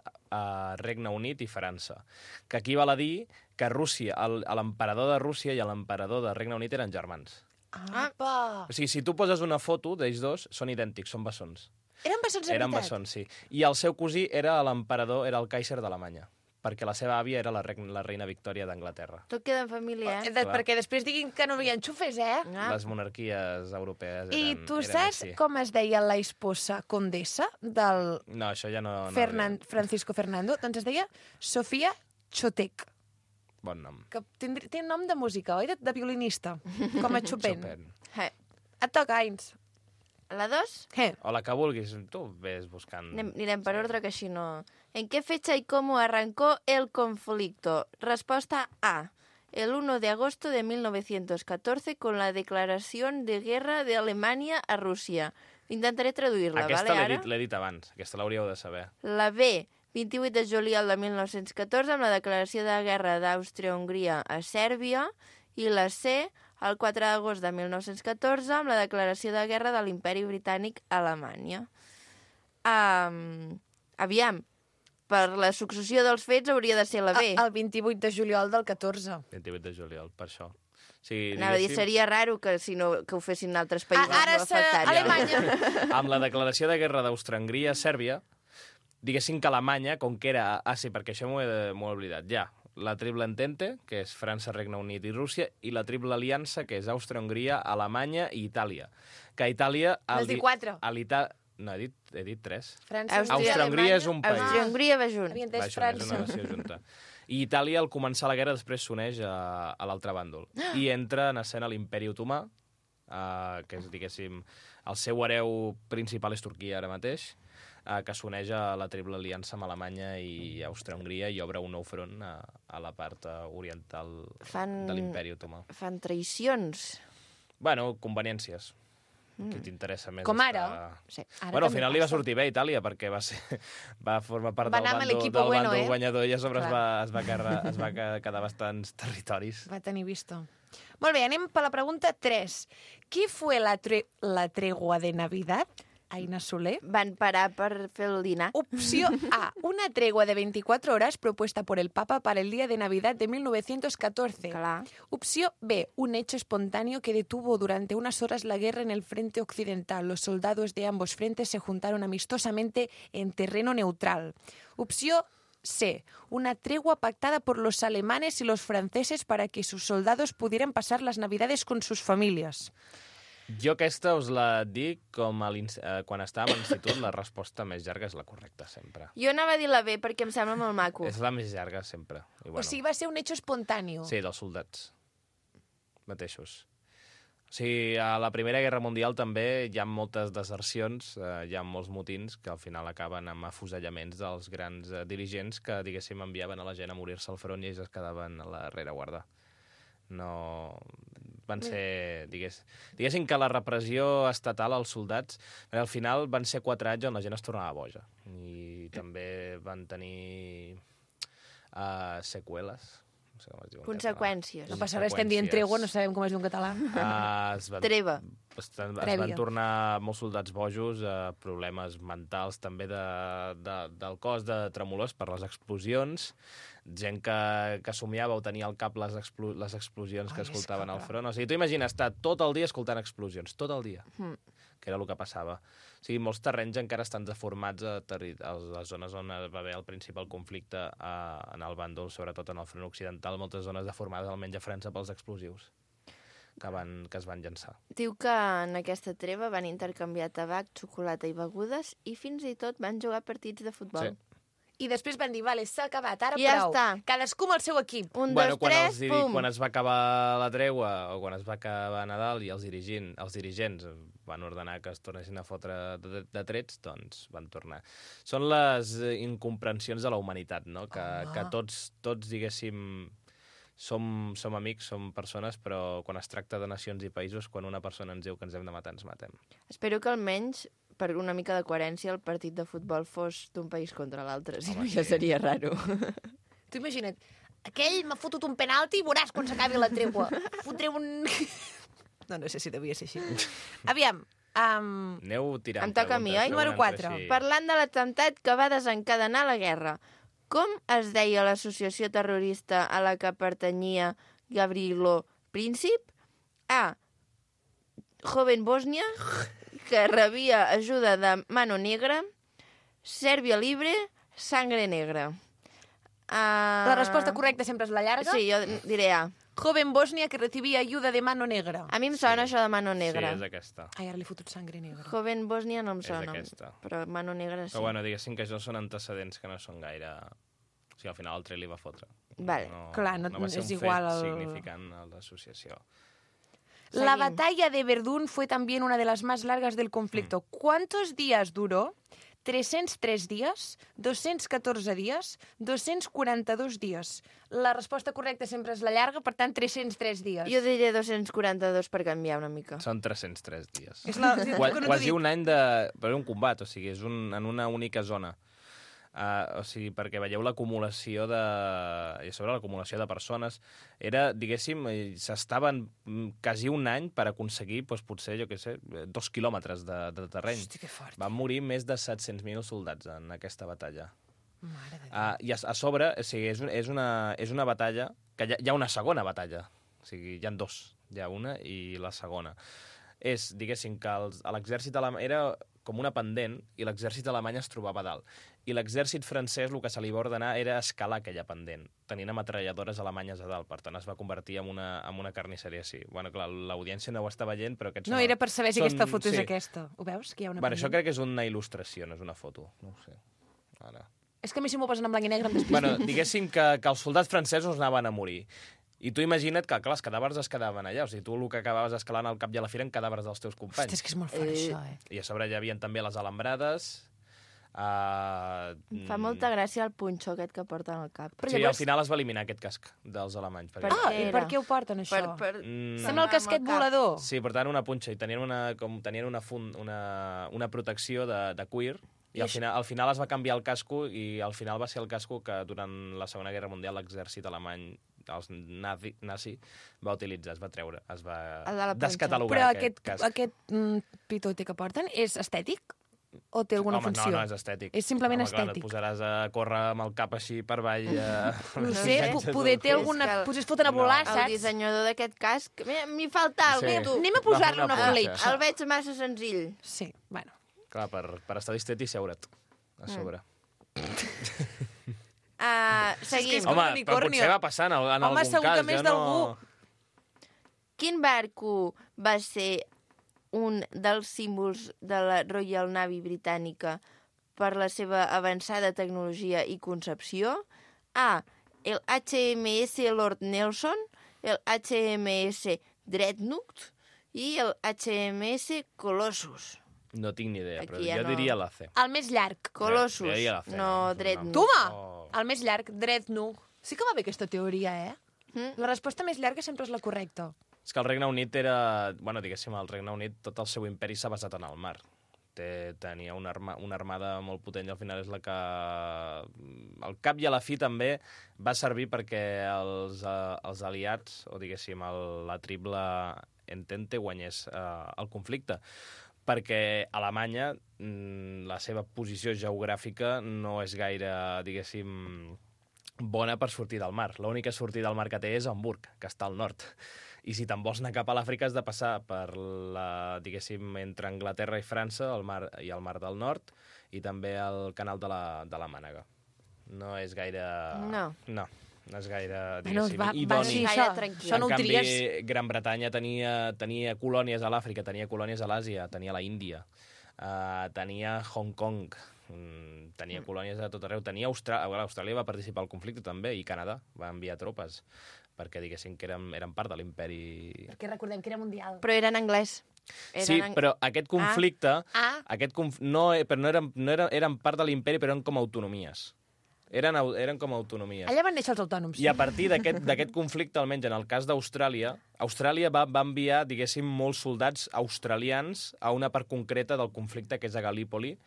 Regne Unit i França, que equival a dir que l'emperador de Rússia i l'emperador de Regne Unit eren germans. Apa! O sigui, si tu poses una foto d'ells dos, són idèntics, són bessons. Eren bessons de veritat? Eren bessons, sí. I el seu cosí era l'emperador, era el Kaiser d'Alemanya, perquè la seva àvia era la reina Victòria d'Anglaterra. Tot queda en família, Perquè després diguin que no hi ha enxufes, Les monarquies europees eren... I tu saps com es deia la esposa condessa del... No, això ja no... Francisco Fernando? Doncs es deia Sofia Chotek. Bon nom. Que té nom de música, oi? De violinista, com a Chopin. Et toca, Ains. La 2? O la que vulguis, tu ves buscant... Anirem per ordre, que així no... ¿En qué fecha y cómo arrancó el conflicto? Respuesta A. el 1 de agosto de 1914 con la declaración de guerra de Alemania a Rússia. Intentaré traduir-la, aquesta vale, ara? l'he dit abans, aquesta l'hauríeu de saber. La B, 28 de juliol de 1914, amb la declaració de guerra d'Àustria-Hongria a Sèrbia, i la C, el 4 d'agost de 1914, amb la declaració de guerra de l'Imperi Britànic a Alemanya. Aviam, per la successió dels fets hauria de ser la B. El 28 de juliol del 14. 28 de juliol, per això. Sí, Anava a dir, seria raro que, si no, que ho fessin altres països. Ara és Alemanya. Amb la declaració de guerra d'Àustria-Hongria a Sèrbia, diguéssim que Alemanya, com que era... Ah, sí, perquè això m'ho he oblidat. Ja, la Triple Entente, que és França, Regne Unit i Rússia, i la Triple Aliança, que és Àustria-Hongria, Alemanya i Itàlia. Que Itàlia... Vas dir 4. No, he dit 3. Àustria-Hongria és un país. Àustria-Hongria va junt. Havia entès França. És França. una nació junta. I Itàlia, al començar la guerra, després s'uneix a l'altre bàndol. I entra en escena l'Imperi Otomà, que és, diguéssim, el seu hereu principal és Turquia ara mateix, que s'uneix a la Triple Aliança amb Alemanya i Àustria-Hongria i obre un nou front a la part oriental de l'Imperi Otomà. Fan traïcions. Bueno, conveniències. Que t'interessa més. Com ara? Sí. Bueno, al final li va sortir bé a Itàlia, perquè va formar part del bàndol guanyador i a sobre es va quedar bastants territoris. Va tenir visto. Molt bé, anem per la pregunta 3. ¿Qué fue la tregua de Navidad? Aina Soler. Van parar per fer el dinar. Opción A. Una tregua de 24 horas propuesta por el Papa para el día de Navidad de 1914. Clar. Opción B. Un hecho espontáneo que detuvo durante unas horas la guerra en el frente occidental. Los soldados de ambos frentes se juntaron amistosamente en terreno neutral. Opción C. Una tregua pactada por los alemanes y los franceses para que sus soldados pudieran pasar las Navidades con sus familias. Jo aquesta us la dic com quan estàvem a l'institut, la resposta més llarga és la correcta, sempre. Jo anava a dir la B perquè em sembla molt maco. És la més llarga, sempre. I bueno, O sigui, va ser un hecho espontáneo. Sí, dels soldats mateixos. O sigui, a la Primera Guerra Mundial també hi ha moltes desercions, hi ha molts motins que al final acaben amb afusellaments dels grans dirigents que, diguéssim, enviaven a la gent a morir-se al front i ells es quedaven a la rereguarda. No... Van ser, diguéssim que la repressió estatal als soldats, al final van ser 4 anys on la gent es tornava boja. I també van tenir seqüeles. No sé com es diu en Conseqüències. No passa res, estem dient tregua, no sabem com es diu en català. Treva. Es van tornar molts soldats bojos, problemes mentals també del cos de tremolors per les explosions, gent que somiava o tenia al cap les explosions que escoltaven al front. O sigui, tu imagina estar tot el dia escoltant explosions, tot el dia, que era el que passava. O sigui, molts terrenys encara estan deformats a les zones on va haver el principal conflicte en el bàndol, sobretot en el front occidental, moltes zones deformades almenys a França pels explosius que es van llançar. Diu que en aquesta treva van intercanviar tabac, xocolata i begudes i fins i tot van jugar partits de futbol. Sí. I després van dir, vale, s'ha acabat, ara ja prou. Està. Cadascú amb el seu equip. 1, 2, 3, pum! Quan es va acabar la tregua o quan es va acabar Nadal i els dirigents van ordenar que es tornessin a fotre de trets, doncs van tornar. Són les incomprensions de la humanitat, no? Que tots, diguéssim, som amics, som persones, però quan es tracta de nacions i països, quan una persona ens diu que ens hem de matar, ens matem. Espero que almenys, per una mica de coherència, el partit de futbol fos d'un país contra l'altre, si no ja seria raro. Tu imagina't, aquell m'ha fotut un penalti i veuràs quan s'acabi la tregua. Fotré un... No sé si devia ser així. Aviam. Aneu tirant em toca a mi, oi? Número 4. Parlant de l'atemptat que va desencadenar la guerra, com es deia l'associació terrorista a la que pertanyia Gavrilo Princip? A. Joven Bòsnia, que rebia ajuda de Mano Negra, Sèrbia Libre, Sangre Negra. La resposta correcta sempre és la llarga? Sí, jo diré A. Joven Bòsnia que recibia ayuda de Mano Negra. A mi em sona això de Mano Negra. Sí, és aquesta. Ai, ara li he fotut Sangre Negra. Joven Bòsnia no em sona, És aquesta. però Mano Negra sí. Però bueno, diguéssim que això són antecedents que no són gaire... O sigui, al final el tret li va fotre. Vale. Clar, no va ser és un igual fet significant a l'associació. La batalla de Verdún fue también una de las más largas del conflicto. ¿Cuántos días duró? 303 dies, 214 dies, 242 dies. La resposta correcta sempre és la llarga, per tant, 303 dies. Jo diré 242 per canviar una mica. Són 303 dies. Quasi un any per un combat, o sigui, és en una única zona. O sigui, perquè veieu l'acumulació i sobre l'acumulació de persones, era, diguéssim, s'estaven quasi un any per aconseguir, doncs, potser, jo què sé, 2 quilòmetres de terreny. Hosti, que fort. Van morir més de 700.000 soldats en aquesta batalla. Mare de Déu. I a sobre, o sigui, és una batalla, que hi ha una segona batalla, o sigui, hi ha dos, hi ha una i la segona. És, diguéssim, que l'exèrcit alemany era com una pendent i l'exèrcit alemany es trobava a dalt. I l'exèrcit francès el que se li va ordenar era escalar aquella pendent, tenint ametralladores alemanyes a dalt. Per tant, es va convertir en una carnisseria així. Bueno, clar, l'audiència no ho està veient, però aquests... No, era per saber si aquesta foto és aquesta. Ho veus? Que hi ha una pendent. Això crec que és una il·lustració, no és una foto. No ho sé. Ara... És que a mi si m'ho posen en blanc i negre em despisto. Bueno, diguéssim que els soldats francesos anaven a morir. I tu imagina't que, clar, els cadàvers es quedaven allà. O sigui, tu el que acabaves escalant al cap i a la fi eren cadàvers dels teus companys. Hosti, és que és molt fort, això, I a sobre hi havia també les alambrades. Fa molta gràcia el punxó aquest que porten al cap. Sí, al final es va eliminar aquest casc dels alemanys. I per què ho porten, això? Sembla el casquet volador. Sí, portaven una punxa i tenien una protecció de cuir. I al final es va canviar el casco i al final va ser el casco que durant la Segona Guerra Mundial l'exèrcit alemany, els nazi, va utilitzar, es va treure, es va descatalogar aquest casc. Però aquest pitote que porten és estètic? O té alguna funció? No, és estètic. És simplement estètic. Clar, et posaràs a córrer amb el cap així per avall... No sé, poder té alguna... Potser es foten a volar, saps? El dissenyador d'aquest casc... M'hi falta alguna cosa. Anem a posar-li una politxa. El veig massa senzill. Sí, bueno. Clar, per estar distret i seure't a sobre. Seguim. Home, però potser va passar en algun cas. Home, segur que més d'algú. Quin barco va ser un dels símbols de la Royal Navy britànica per la seva avançada tecnologia i concepció? A. El HMS Lord Nelson, el HMS Dreadnought i el HMS Colossus. No tinc ni idea, però jo diria la C. El més llarg. Colossus, no Dreadnought. Toma! El més llarg, Dreadnought. Sí que va bé aquesta teoria, La resposta més llarga sempre és la correcta. És que el Regne Unit era... Bueno, diguéssim, el Regne Unit, tot el seu imperi s'ha basat en el mar. Tenia una armada molt potent i al final és la que... Al cap i a la fi també va servir perquè els aliats, o diguéssim, la triple entente guanyés el conflicte. Perquè Alemanya, la seva posició geogràfica no és gaire, diguéssim, bona per sortir del mar. L'única sortida del mar que té és Hamburg, que està al nord. I si te'n vols anar cap a l'Àfrica has de passar per diguéssim, entre Anglaterra i França, el mar del Nord, i també el canal de la Mànega. No és gaire... No és gaire, diguéssim, idoni. Això no ho tries. En canvi, Gran Bretanya tenia colònies a l'Àfrica, tenia colònies a l'Àsia, tenia la Índia, tenia Hong Kong, tenia colònies a tot arreu, tenia Austràlia va participar al conflicte també, i Canadà va enviar tropes, perquè diguéssim que eren part de l'imperi... Perquè recordem que era mundial. Però era en anglès. Sí, però aquest conflicte... No eren part de l'imperi, però eren com autonomies. Eren com autonomies. Allà van néixer els autònoms. I a partir d'aquest conflicte, almenys en el cas d'Austràlia, Austràlia va enviar, diguéssim, molts soldats australians a una part concreta del conflicte, que és a Galípoli,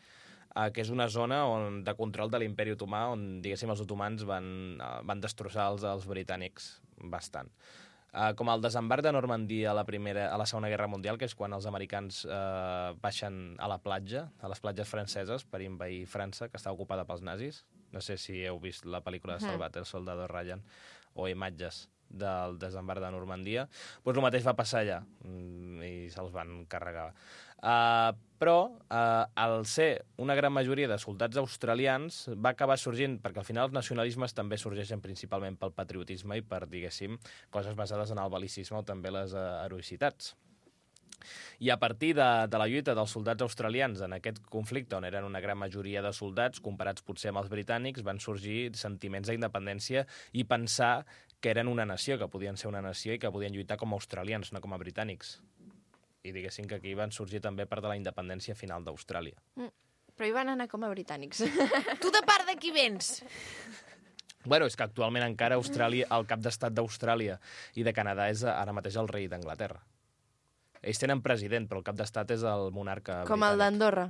que és una zona de control de l'imperi otomà, on, diguéssim, els otomans van destrossar els britànics bastant. Com el desembarc de Normandia a la Segona Guerra Mundial, que és quan els americans baixen a la platja, a les platges franceses, per invair França, que està ocupada pels nazis. No sé si heu vist la pel·lícula de Salvat, el soldado Ryan, o imatges del desembarc de Normandia. Doncs el mateix va passar allà, i se'ls van carregar. Però, al ser una gran majoria de soldats australians, va acabar sorgint, perquè al final els nacionalismes també sorgeixen principalment pel patriotisme i per, diguéssim, coses basades en el bel·licisme o també les heroïcitats. I a partir de la lluita dels soldats australians en aquest conflicte, on eren una gran majoria de soldats, comparats potser amb els britànics, van sorgir sentiments d'independència i pensar que eren una nació, que podien ser una nació i que podien lluitar com a australians, no com a britànics. I diguéssim que aquí van sorgir també part de la independència final d'Austràlia. Però hi van anar com a britànics. Tu de part de qui vens? Bueno, és que actualment encara Austràlia, el cap d'estat d'Austràlia i de Canadà és ara mateix el rei d'Anglaterra. Ells tenen president, però el cap d'estat és el monarca com el d'Andorra.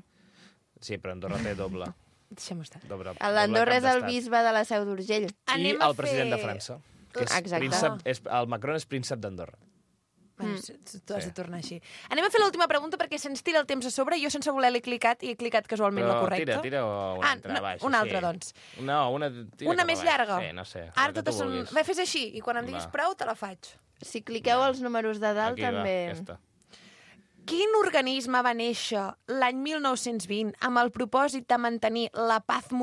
Sí, però Andorra té doble. Deixem estar. L'Andorra és el bisbe de la Seu d'Urgell. I el president de França. Que és Exacte. el Macron és príncep d'Andorra. Bueno, tu has de tornar així. Anem a fer l'última pregunta perquè se'ns tira el temps a sobre. Jo sense voler l'he clicat i he clicat casualment la correcta. Tira una altra, baix. Una altra, doncs. No, una més llarga? Sí, no sé. Ara totes són... Fes així i quan em diguis prou te la faig. Si cliqueu els números de dalt també... Aquesta. Quin organisme va néixer l'any 1920 amb el propòsit de mantenir la pau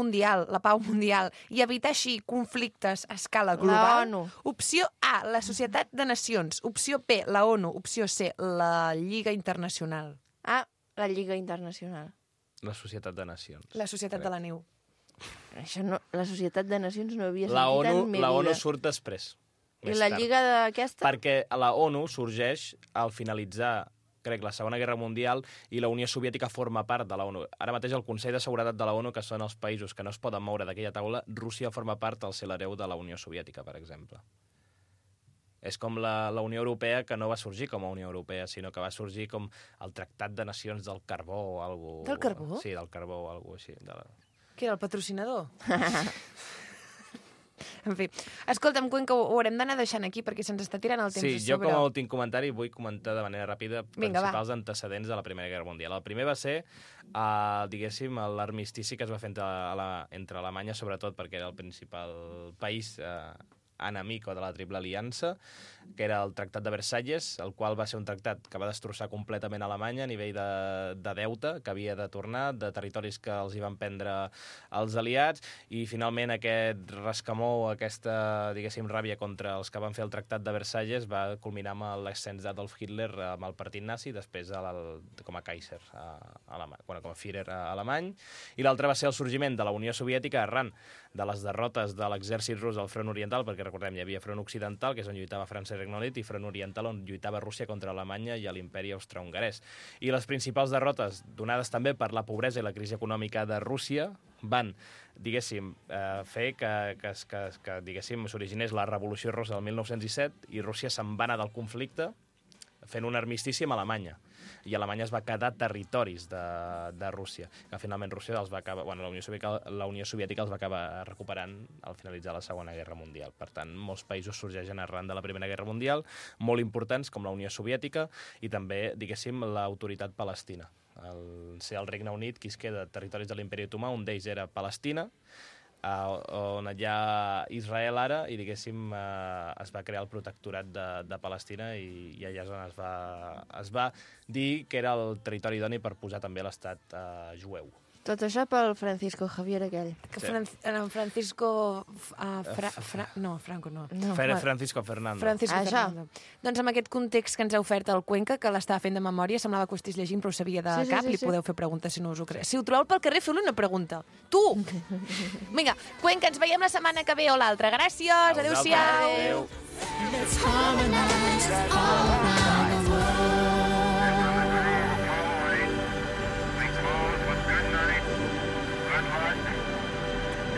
mundial i evitar així conflictes a escala global? La ONU. Opció A, la Societat de Nacions. Opció B, la ONU. Opció C, la Lliga Internacional. A, la Lliga Internacional. La Societat de Nacions. La Societat de la Neu. Això no, la Societat de Nacions no havia sentit en mi vida. La ONU surt després. I la Lliga d'aquesta? Perquè la ONU sorgeix al finalitzar crec, la Segona Guerra Mundial, i la Unió Soviètica forma part de la ONU. Ara mateix el Consell de Seguretat de la ONU, que són els països que no es poden moure d'aquella taula, Rússia forma part al ser l'hereu de la Unió Soviètica, per exemple. És com la Unió Europea, que no va sorgir com a Unió Europea, sinó que va sorgir com el Tractat de Nacions del Carbó o alguna cosa. Del carbó? Sí, del carbó o alguna cosa així. Que era el patrocinador? En fi, escolta'm, Cuenca, ho haurem d'anar deixant aquí perquè se'ns està tirant el temps a sobre. Sí, jo com a últim comentari vull comentar de manera ràpida principals antecedents de la Primera Guerra Mundial. El primer va ser, diguéssim, l'armistici que es va fer entre Alemanya, sobretot perquè era el principal país enemic o de la Triple Aliança, que era el Tractat de Versalles, el qual va ser un tractat que va destrossar completament Alemanya a nivell de deute que havia de tornar, de territoris que els hi van prendre els aliats, i finalment aquest rescamó, aquesta, diguéssim, ràbia contra els que van fer el Tractat de Versalles va culminar amb l'ascens d'Adolf Hitler amb el partit nazi, després com a Kaiser com a Führer alemany, i l'altre va ser el sorgiment de la Unió Soviètica arran de les derrotes de l'exèrcit rus al front oriental, perquè recordem, hi havia front occidental, que és on lluitava França i Regne Unit, i front oriental, on lluitava Rússia contra Alemanya i l'imperi austro-hongarès. I les principals derrotes, donades també per la pobresa i la crisi econòmica de Rússia, van, diguéssim, fer que diguéssim, s'originés la Revolució Russa del 1917 i Rússia se'n va anar del conflicte fent un armistici amb Alemanya. I Alemanya es va quedar territoris de Rússia, que finalment Rússia els va acabar, la Unió Soviètica els va acabar recuperant al finalitzar la Segona Guerra Mundial. Per tant, molts països sorgeixen arran de la Primera Guerra Mundial, molt importants com la Unió Soviètica i també, diguéssim, l'autoritat palestina. Ser el Regne Unit qui es queda territoris de l'Imperi Otomà, un d'ells era Palestina, on hi ha Israel ara, i diguéssim es va crear el protectorat de Palestina i allà és on es va dir que era el territori idoni per posar també l'estat jueu. Tot això pel Francisco Javier aquell. Francisco... Franco no. Francisco Fernando. Francisco Fernando. Doncs amb aquest context que ens ha ofert el Cuenca, que l'estava fent de memòria, semblava que ho estigués llegint, però ho sabia de cap, li podeu fer preguntes si no us ho creus. Si ho trobeu pel carrer, feu-li una pregunta. Tu! Vinga, Cuenca, ens veiem la setmana que ve o l'altra. Gràcies, adéu-siau! Let's harmonize all around the world.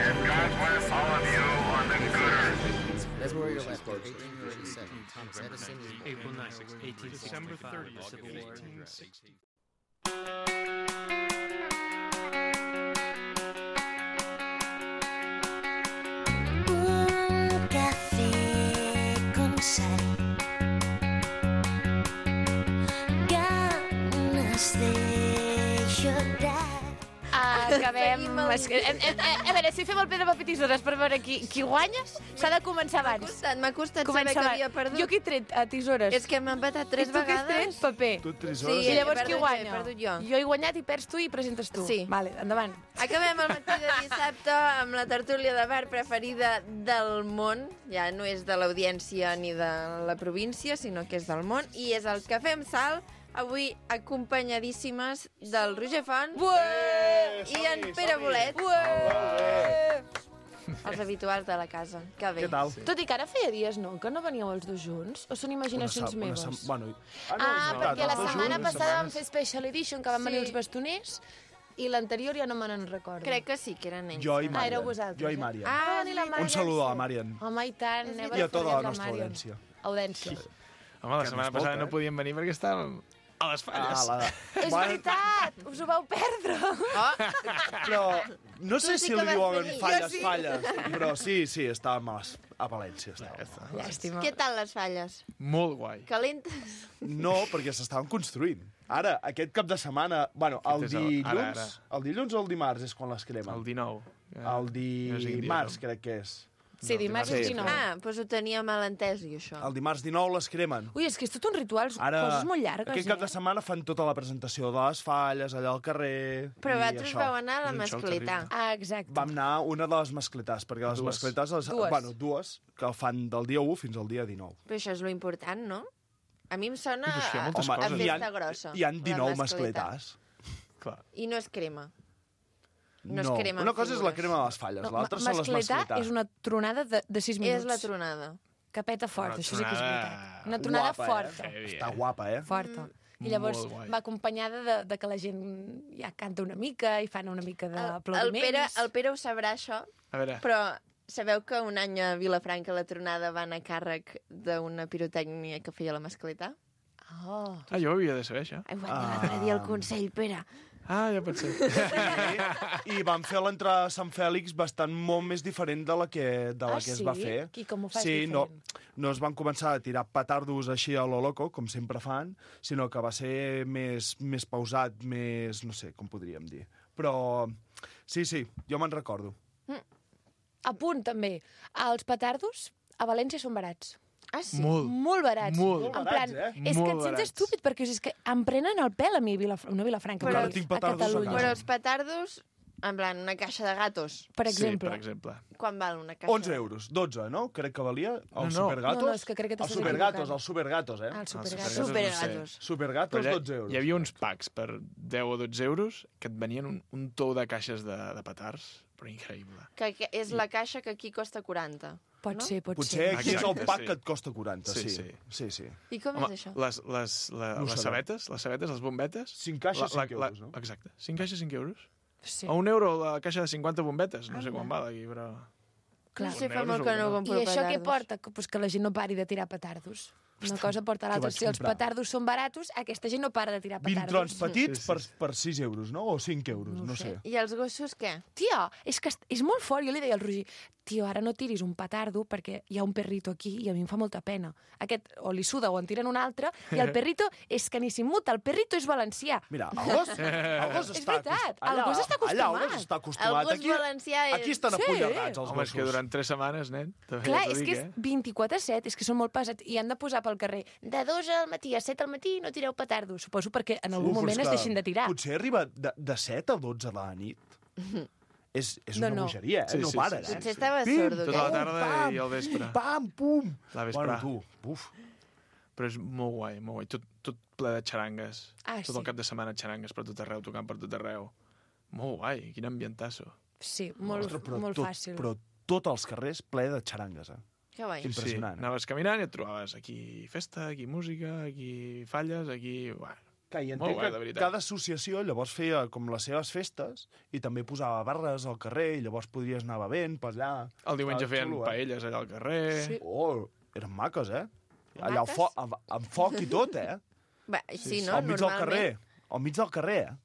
God bless all of you on the good earth. That's where you're left. 1837. Thomas Edison is April 9, 1865. December 30th, Civil War. Un café con sal. Ganas de llorar. Acabem... A veure, si fem el pedra, paper, tisores per veure qui guanya, s'ha de començar abans. M'ha costat saber que havia perdut. Jo que he tret tisores. És que m'ha empatat 3 vegades. I tu que has tret paper. Tu tisores. Sí, i llavors qui guanya? He perdut jo. Jo he guanyat i perds tu i presentes tu. Sí. Vale, endavant. Acabem el matí de dissabte amb la tertúlia de bar preferida del món. Ja no és de l'audiència ni de la província, sinó que és del món. I és el Cafè amb Sal, avui acompanyadíssimes del Roger Font i en Pere Bolet. Els habituals de la casa. Que bé. Què tal? Tot i que ara feia dies, no? Que no veníeu els dos junts? O són imaginacions meves? Bueno, perquè la setmana passada vam fer Special Edition, que van venir els bastoners, I l'anterior ja no me n'en recordo. Crec que sí, que eren ells. Jo i Ah, Marian. éreu vosaltres. Jo i Marian. Ah, ni la Marian. Un saludo a la Marian. Home, i tant. I a tota la nostra audiència. Audiència. Home, la Que setmana no es passada pot, no podíem venir perquè estàvem a les falles. És veritat! Us ho vau perdre! Però no sé Tu sí si que li vas diuen venir. falles, Jo sí. falles, però sí, estàvem a València. Llàstima. Què tal les falles? Molt guai. Calentes? No, perquè s'estaven construint. Ara, aquest cap de setmana... Bueno, el Aquest és dilluns... ara. El dilluns o el dimarts és quan les cremen? El 19. El No sé quin dia dimarts, som. crec que és. Sí, dimarts és 19. Ah, doncs ho tenia mal entès, jo, això. El dimarts 19 les cremen. Ui, és que és tot un ritual, Ara, coses molt llargues, aquest cap de setmana fan tota la presentació de les falles, allà al carrer... Però i vosaltres això. vau anar a la mascletà. Ah, exacte. Vam anar a una de les mascletars, perquè les Dues. mascletars... Dues. Bueno, dues, que fan del dia 1 fins al dia 19. Però això és lo important, no? A mi em sona Doncs hi ha moltes a coses. festa grossa. Hi ha la 19 mascletà. mascletars. Clar. I no es crema. No es No, cremen una cosa és la figures. crema de les falles, l'altra són les Mascletà mascletars. és una tronada de 6 minuts. És la tronada. Que peta fort, Una això sí que és tronada veritat. Una tronada Guapa, forta. Està guapa, eh? Forta. I llavors Molt guai. va acompanyada de que la gent ja canta una mica i fan una mica El d'aplaudiments. Pere ho sabrà, això, A veure, però sabeu que un any a Vilafranca la tronada va anar a càrrec d'una pirotècnia que feia la mascletà? Oh. jo ho havia de saber, això. Ai, ho vaig dir l'altre dia al Consell, Pere. Ah, ja pot ser. I van fer l'entrada a Sant Fèlix bastant molt més diferent de la que es va fer. I com ho fas Sí, diferent? no es van començar a tirar petardos així a lo loco, com sempre fan, sinó que va ser més pausat, més... no sé, com podríem dir. Però sí, jo me'n recordo. A punt, també. Els petardos a València són barats. Ah, sí? Molt barats. Molt En barats, plan, eh? És que Molt et sents barats. estúpid, perquè és que em prenen el pèl a mi, no a Vilafranca, Però però ara tinc petardos a Catalunya. casa. Però els petardos, en plan, una caixa de gatos, Per Sí, exemple. per exemple. quan val una caixa? 11 euros, 12, no? Crec que valia. Els No, no. Supergatos. No, és que crec que t'estàs Els Supergatos, equivocant. els Supergatos, eh? Ah, els Supergatos. supergatos. Supergatos. Supergatos, Però 12 euros. Hi havia uns packs per 10 o 12 euros que et venien un tou de caixes de petards, però increïble. Que és la caixa que aquí costa 40. Pot no? ser, pot Potser ser. aquí és el Exacte, pack sí. que et costa 40, Sí, sí. sí. Sí. I com Home, és això? les No ho sabetes, les bombetes... 5 caixes, 5 euros, no? Exacte. 5 caixes, 5 euros. Sí. A €1 la caixa de 50 bombetes. No sé quan val aquí, però... Clar. No sé, Un fa euro molt que no segur. compro I això què petardos. porta? Pues que la gent no pari de tirar petardos. Una cosa porta a l'altra. vaig Si els comprar. petardos són baratos, aquesta gent no para de tirar 20 trons petardos. petits Sí. per 6 euros, no? O 5 euros, no sé. I els gossos què? Tia, és que és molt fort. Jo li deia al Roger, tio, ara no tiris un petardo perquè hi ha un perrito aquí i a mi em fa molta pena. Aquest o li suda o en tiren un altre i el perrito és que ni s'immuta. El perrito és valencià. Mira, el gos És està veritat, el allà, gos està Allà el acostumat. gos està acostumat. El gos Aquí, valencià és- aquí estan Sí. apunyegats, els Home, és que gossos. durant 3 setmanes, nen... també Clar, ja t'ho és dic, que és 24/7, és que són molt pesats i han de posar pel carrer de 2 al matí a 7 al matí no tireu petardos. Suposo perquè en algun Uf, moment és es que deixin de tirar. Potser arriba de 7 a 12 de la nit. És una No. bogeria, eh? Sí, No sí, paren, sí, eh? Potser estava Pim, sordo, Tota la aquest. tarda pam, i al vespre. Pam, pum! La vesprà. Bueno, tu, uf. Però és molt guai, molt guai. Tot ple de xarangues. Ah, tot sí. el cap de setmana xarangues per tot arreu, tocant per tot arreu. Molt guai, quin ambientasso. Sí, molt, Ostres, però molt tot, fàcil. Però tots els carrers ple de xarangues, eh? Que guai. Impressionant. Sí, anaves caminant i et trobaves aquí festa, aquí música, aquí falles, aquí... Bueno, Que hi molt entenc guai, de que veritat. cada associació llavors feia com les seves festes i també posava barres al carrer i llavors podries anar bevent per allà. El diumenge Estava feien xulo, paelles allà al carrer. Sí. Oh, eren maques, eh? Allà Maques? amb foc i tot, eh? Va, sí, no? Al mig del Normalment. carrer. Al mig del carrer, eh?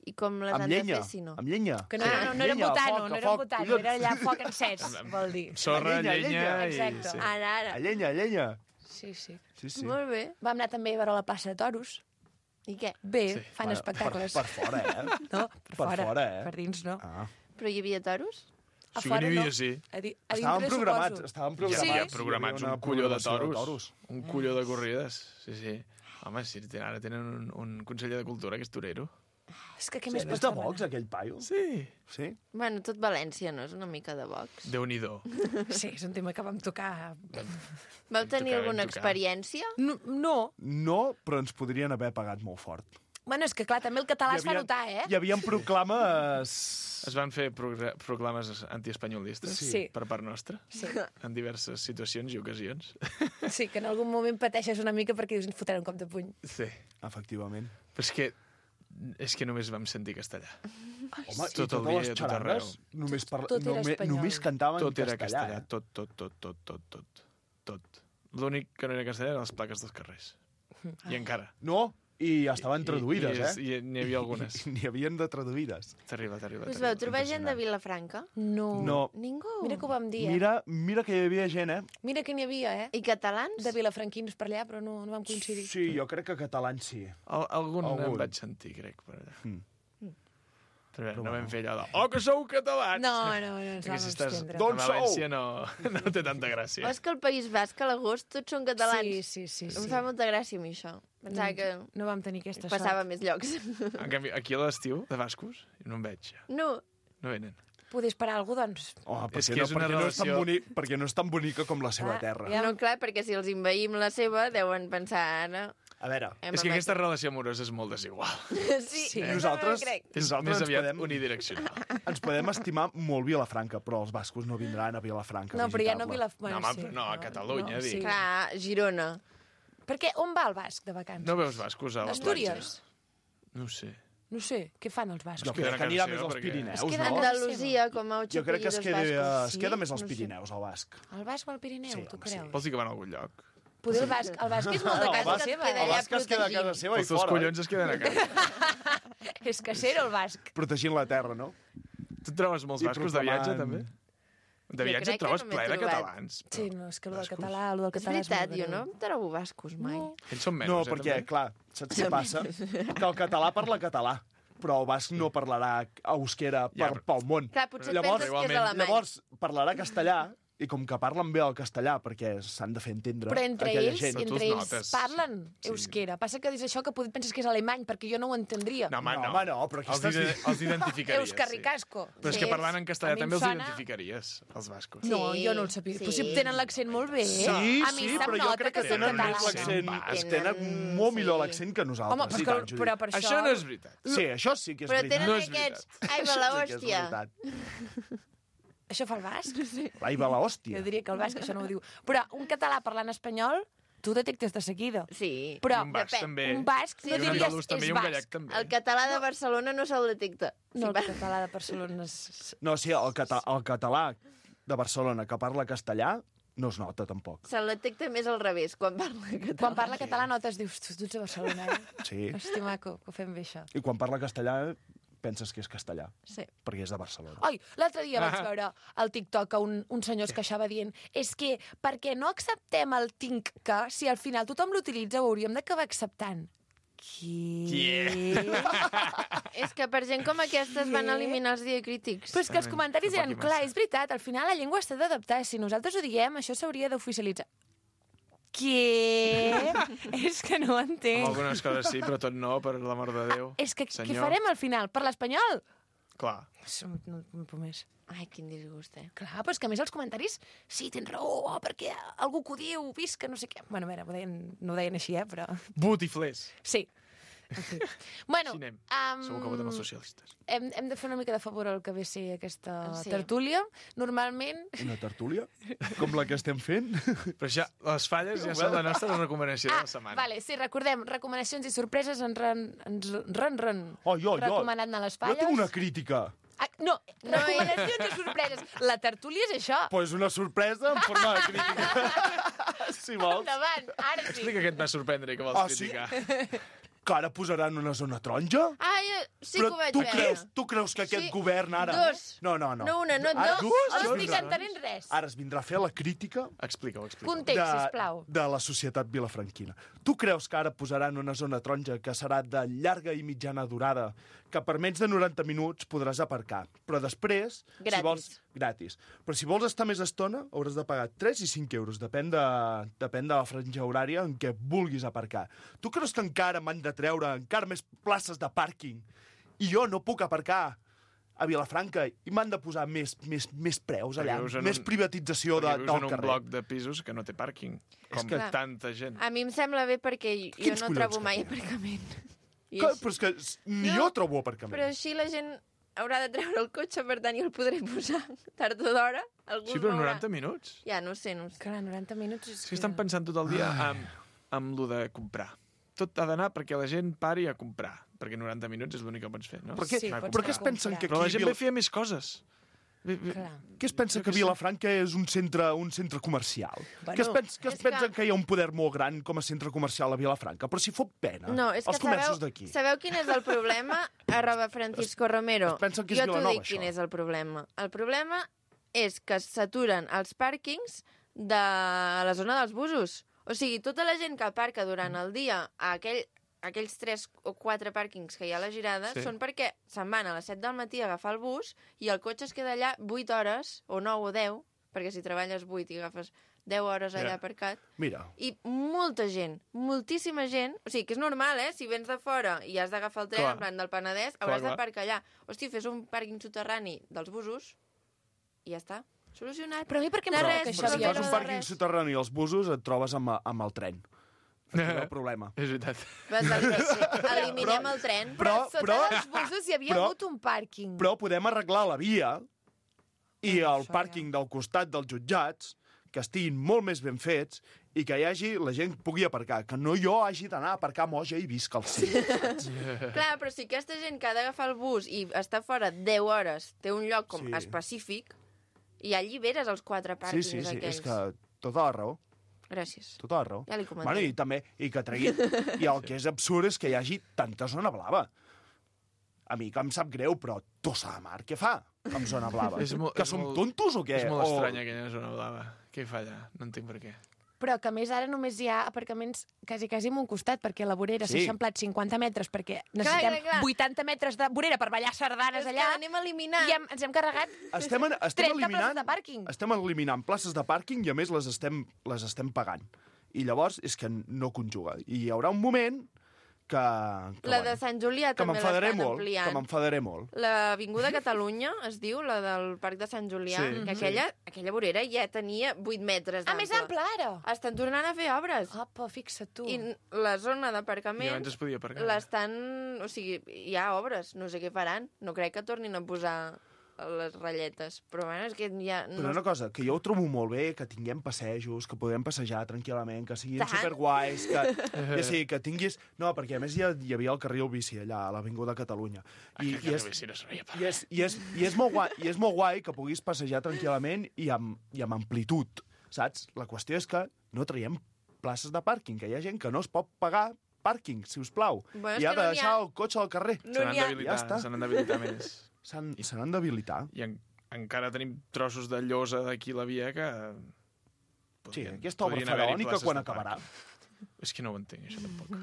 I com les Amb han llenya. de fer, si no? Amb llenya. Que no, Sí. no, no era Llenya, botano, foc, no era foc, botano, collons. era allà foc encès, vol dir. Sorra, Llenya, llenya, Exacte. i... Sí. Ara. A llenya, a llenya. Sí, sí. Sí, sí. Molt bé. Vam anar també a veure la plaça de toros. I què? Bé, Sí. fan espectacles. Per fora, eh? No, Per fora, fora, eh? per dins no. Ah. Però hi havia toros? A Sí que fora n'hi havia, no. sí. A dintre, Estaven programats, suposo. estaven Ja programats. havia Sí. programats Hi havia un colló de programació toros. Un colló de corrides. Sí, sí. Home, sí, ara tenen un conseller de cultura que és torero. És que què Sí, més és pots de demanar? Vox, aquell paio? Sí. Sí? Bueno, tot València, no? És una mica de Vox. Déu-n'hi-do. Sí, és un tema que vam tocar. Vau tenir tocar, alguna vam tocar. experiència? No. No, però ens podrien haver pagat molt fort. Bueno, és que clar, també el català es fa notar, eh? Hi havia proclames... Es van fer proclames antiespanyolistes Sí. per part nostra, Sí. en diverses situacions i ocasions. Sí, que en algun moment pateixes una mica perquè dius, fotrà un cop de puny. Sí. Efectivament. Però és que És que només vam sentir castellà. Home, tot el dia, tot arreu. Només cantaven tot era castellà. Tot. L'únic que no era castellà eren les plaques dels carrers. I encara. No, i estaven traduïdes, I n'hi havia algunes. N'hi havien de traduïdes. T'arriba. Us vau trobar gent de Vilafranca? No. Ningú? Mira que ho vam dir, Mira que hi havia gent, Mira que n'hi havia, I catalans? De vilafranquins per allà, però no vam coincidir. Sí, jo crec que catalans sí. Algun em vaig sentir, crec, per allà. Però no vam fer allò de que sou catalans! No, ens vam abstendre. D'on sou? València no té tanta gràcia. O és que al País Basc, a l'agost, tots són catalans. Sí. Em fa molta gràcia a mi, això. Pensava que no vam tenir aquesta passava més llocs. En canvi, aquí a l'estiu, de bascos, no en veig. No venen. Poder esperar algú, doncs... Perquè no és tan bonica com la seva terra. No, clar, perquè si els envaïm la seva, deuen pensar... Ara... A veure... És que aquesta relació amorosa és molt desigual. Sí. Nosaltres és més aviat unidireccional. Ens podem estimar molt Vilafranca, però els bascos no vindran a Vilafranca No, però ja no Vilafranca. No, a Catalunya, dic. Clar, Girona. Perquè on va el basc de vacances? No veus bascos a la platja? Astúries? No sé. No sé, què fan els bascos? Jo crec que anirà més als Pirineus, no? Andalusia, com a 8 Jo crec que es queda més als No sé. Pirineus, el basc. El basc o el Pirineu, tu creus? Vols dir que van a algun lloc? Poder el basc és molt de casa seva. El basc es queda a casa seva i Els teus fora. collons es queden a casa. És casero, el basc. Protegint la terra, no? Tu et trobes molts bascos de viatge, també? De viatge et trobes ple de catalans. Sí, no, és que el del català és veritat, jo no em trobo bascos mai. Ells són menys, No, perquè, clar, saps què passa? Que el català parla català, però el basc no parlarà euskera pel món. Clar, potser et penses que és alemany. Llavors parlarà castellà, i com que parlen bé el castellà, perquè s'han de fer entendre però entre aquella ells, gent. parlen euskera. Passa que dius això que penses que és alemany, perquè jo no ho entendria. No, però aquí els identificaries. Euskarricasco. Però és que parlant en castellà també els identificaries, els bascos. No, jo no el sabia. Però si tenen l'accent molt bé. Sí, però jo crec que tenen més l'accent. Tenen molt millor l'accent que nosaltres. Home, però per això no és veritat. Sí, això sí que és veritat. Però tenen aquests... Ai, va la hòstia. Això fa el basc? Sí. Ai, va la hòstia. Jo diria que el basc això no ho diu. Però un català parlant espanyol, tu detectes de seguida. Sí. Però un basc també. Un basc no diries és basc. El català de Barcelona no se'l detecta. No, el català de Barcelona és... No, sí, el català de Barcelona que parla castellà no es nota, tampoc. Se'l detecta més al revés, quan parla català. Quan parla català notes, dius, tu ets a Barcelona, Sí. Hosti, maco, que ho fem bé, això. I quan parla castellà penses que és castellà. Sí. Perquè és de Barcelona. Ai, l'altre dia vaig veure al TikTok que un senyor es queixava dient és que per què no acceptem el tinc que si al final tothom l'utilitza ho hauríem d'acabar acceptant? És que per gent com aquesta es van eliminar els diacrítics. Però és que els comentaris eren, clar, és veritat, al final la llengua s'ha d'adaptar. Si nosaltres ho diem, això s'hauria d'oficialitzar. Què? És que no ho entenc. Amb algunes coses sí, però tot no, per l'amor de Déu. És que què farem al final? Per l'espanyol? Clar. No puc més. Ai, quin disgust, Clar, però és que a més els comentaris, sí, tens raó, perquè algú que ho diu, visca, no sé què. Bueno, a veure, no ho deien així, però... Botiflers. Sí. En fi. Bueno, segur que voten els socialistes. Hem de fer una mica de favor al que ve a ser aquesta tertúlia. Normalment... Una tertúlia? Com la que estem fent? Però ja, les falles ja són la nostra recomanació de la setmana. Vale, sí, recordem, recomanacions i sorpreses ren. Oh, jo. Recomanant a les falles. Jo tinc una crítica. No, recomanacions i sorpreses. La tertúlia és això. Pues una sorpresa en forma de crítica. Si vols. Endavant, ara sí. Explica què et va sorprendre i que vols criticar. Sí? Que ara posaran una zona taronja? Ah, sí que ho vaig veure. Tu creus que aquest govern ara... Dos. No. No una, no ara, dos. No estic entenent res. Ara es vindrà a fer la crítica... Explica-ho. Context, sisplau. De la societat vilafranquina. Tu creus que ara posaran una zona taronja que serà de llarga i mitjana durada, que per menys de 90 minuts podràs aparcar, però després... Gratis. Si vols, gratis. Però si vols estar més estona, hauràs de pagar 3 i 5 euros, depèn de la franja horària en què vulguis aparcar. Tu creus que encara m'han de treure encara més places de pàrquing i jo no puc aparcar a Vilafranca i m'han de posar més preus allà, més privatització del carrer. Perquè vius en un bloc de pisos que no té pàrquing, com tanta gent. A mi em sembla bé perquè jo no trobo mai aparcament. Però és que ni jo trobo aparcament. Però així la gent haurà de treure el cotxe, per tant, jo el podré posar tard o d'hora. Sí, però 90 minuts? Ja, no sé. Clar, 90 minuts... És que estan pensant tot el dia amb lo de comprar. Tot ha d'anar perquè la gent pari a comprar. perquè 90 minuts és l'únic que pots fer, no? Però què es pensen que aquí... Però la gent ve a fer més coses. Què es pensa que Vilafranca és un centre comercial? Què es pensen que hi ha un poder molt gran com a centre comercial a Vilafranca? Però si fot pena, els comerços d'aquí. Sabeu quin és el problema? @Francisco Romero. Es pensen que és jo t'ho Vilanova, dic quin això. és el problema. El problema és que s'aturen els pàrquings de la zona dels busos. O sigui, tota la gent que aparca durant el dia a aquells 3 o 4 pàrquings que hi ha a la Girada són perquè se'n van a les 7 del matí a agafar el bus i el cotxe es queda allà 8 hores, o 9 o 10, perquè si treballes 8 i agafes 10 hores allà aparcat. Mira. I molta gent, moltíssima gent, o sigui, que és normal, si vens de fora i has d'agafar el tren, en plan del Penedès, hauràs d'aparcar allà. Hosti, fes un pàrquing soterrani dels busos i ja està. Solucionat. Però a mi per què Però si fas un pàrquing soterrani als busos et trobes amb el tren. Aquí no hi ha el problema. És veritat. Eliminem el tren. Però sota dels busos hi havia hagut un pàrquing. Però podem arreglar la via i el pàrquing del costat dels jutjats, que estiguin molt més ben fets i que la gent pugui aparcar, que no jo hagi d'anar a aparcar a Moja i visc al cim, saps? Clar, però si aquesta gent que ha d'agafar el bus i està fora 10 hores té un lloc com específic, i ja alliberes els 4 pàrquings aquells. És que tota la raó. Gràcies. Tota la raó. Ja li comentaré. Bueno, i també, i que treguin... I el que és absurd és que hi hagi tanta zona blava. A mi que em sap greu, però Tossa de Mar, què fa amb zona blava? Que som tontos o què? És molt estranya aquella zona blava. Què hi fa allà? No entenc per què. Però que a més ara només hi ha aparcaments quasi a un costat, perquè la vorera s'ha eixamplat 50 metres, perquè necessitem 80 metres de vorera per ballar sardanes allà. És que anem eliminant. I ens hem carregat 30 places de pàrquing. Estem eliminant places de pàrquing i a més les estem pagant. I llavors és que no conjuga. I hi haurà un moment que la de Sant Julià també l'estan ampliant. Que m'enfadaré molt. L'Avinguda Catalunya, es diu, la del Parc de Sant Julià, que aquella vorera ja tenia 8 metres d'ample. Més ample, ara! Estan tornant a fer obres. Apa, fixa't tu. I la zona d'aparcament... I abans es podia aparcar. L'estan... O sigui, hi ha obres, no sé què faran. No crec que tornin a posar les ratlletes, però bueno, és que ja... Però una cosa, que jo ho trobo molt bé, que tinguem passejos, que podem passejar tranquil·lament, que siguin superguais, que tinguis... No, perquè a més hi havia el carril bici allà, a l'Avinguda Catalunya. I és molt guai que puguis passejar tranquil·lament i amb amplitud, saps? La qüestió és que no traiem places de pàrquing, que hi ha gent que no es pot pagar pàrquing, si us plau, i ha de deixar el cotxe al carrer. Se n'han d'habilitar més. Se n'han d'habilitar. I encara tenim trossos de llosa d'aquí la via que... Sí, aquesta obra faraònica quan acabarà? És que no ho entenc, això tampoc.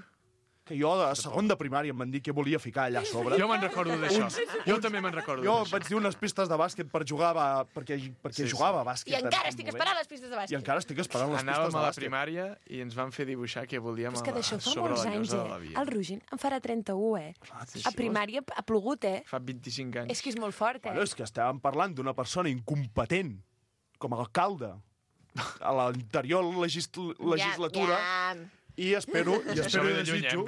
Que jo a segon de primària em van dir que volia ficar allà a sobre. Jo me'n recordo d'això. Jo també me'n recordo d'això. Jo vaig dir unes pistes de bàsquet per jugar, perquè jugava a bàsquet. I encara estic esperant les pistes de bàsquet. I encara estic esperant les pistes de bàsquet. Anàvem a la primària i ens van fer dibuixar què volíem a sobre la llosa de la via. El Rogin en farà 31, A primària ha plogut, Fa 25 anys. És que és molt fort, Bueno, és que estàvem parlant d'una persona incompetent, com a alcalde, a l'anterior legislatura... I espero i desitjo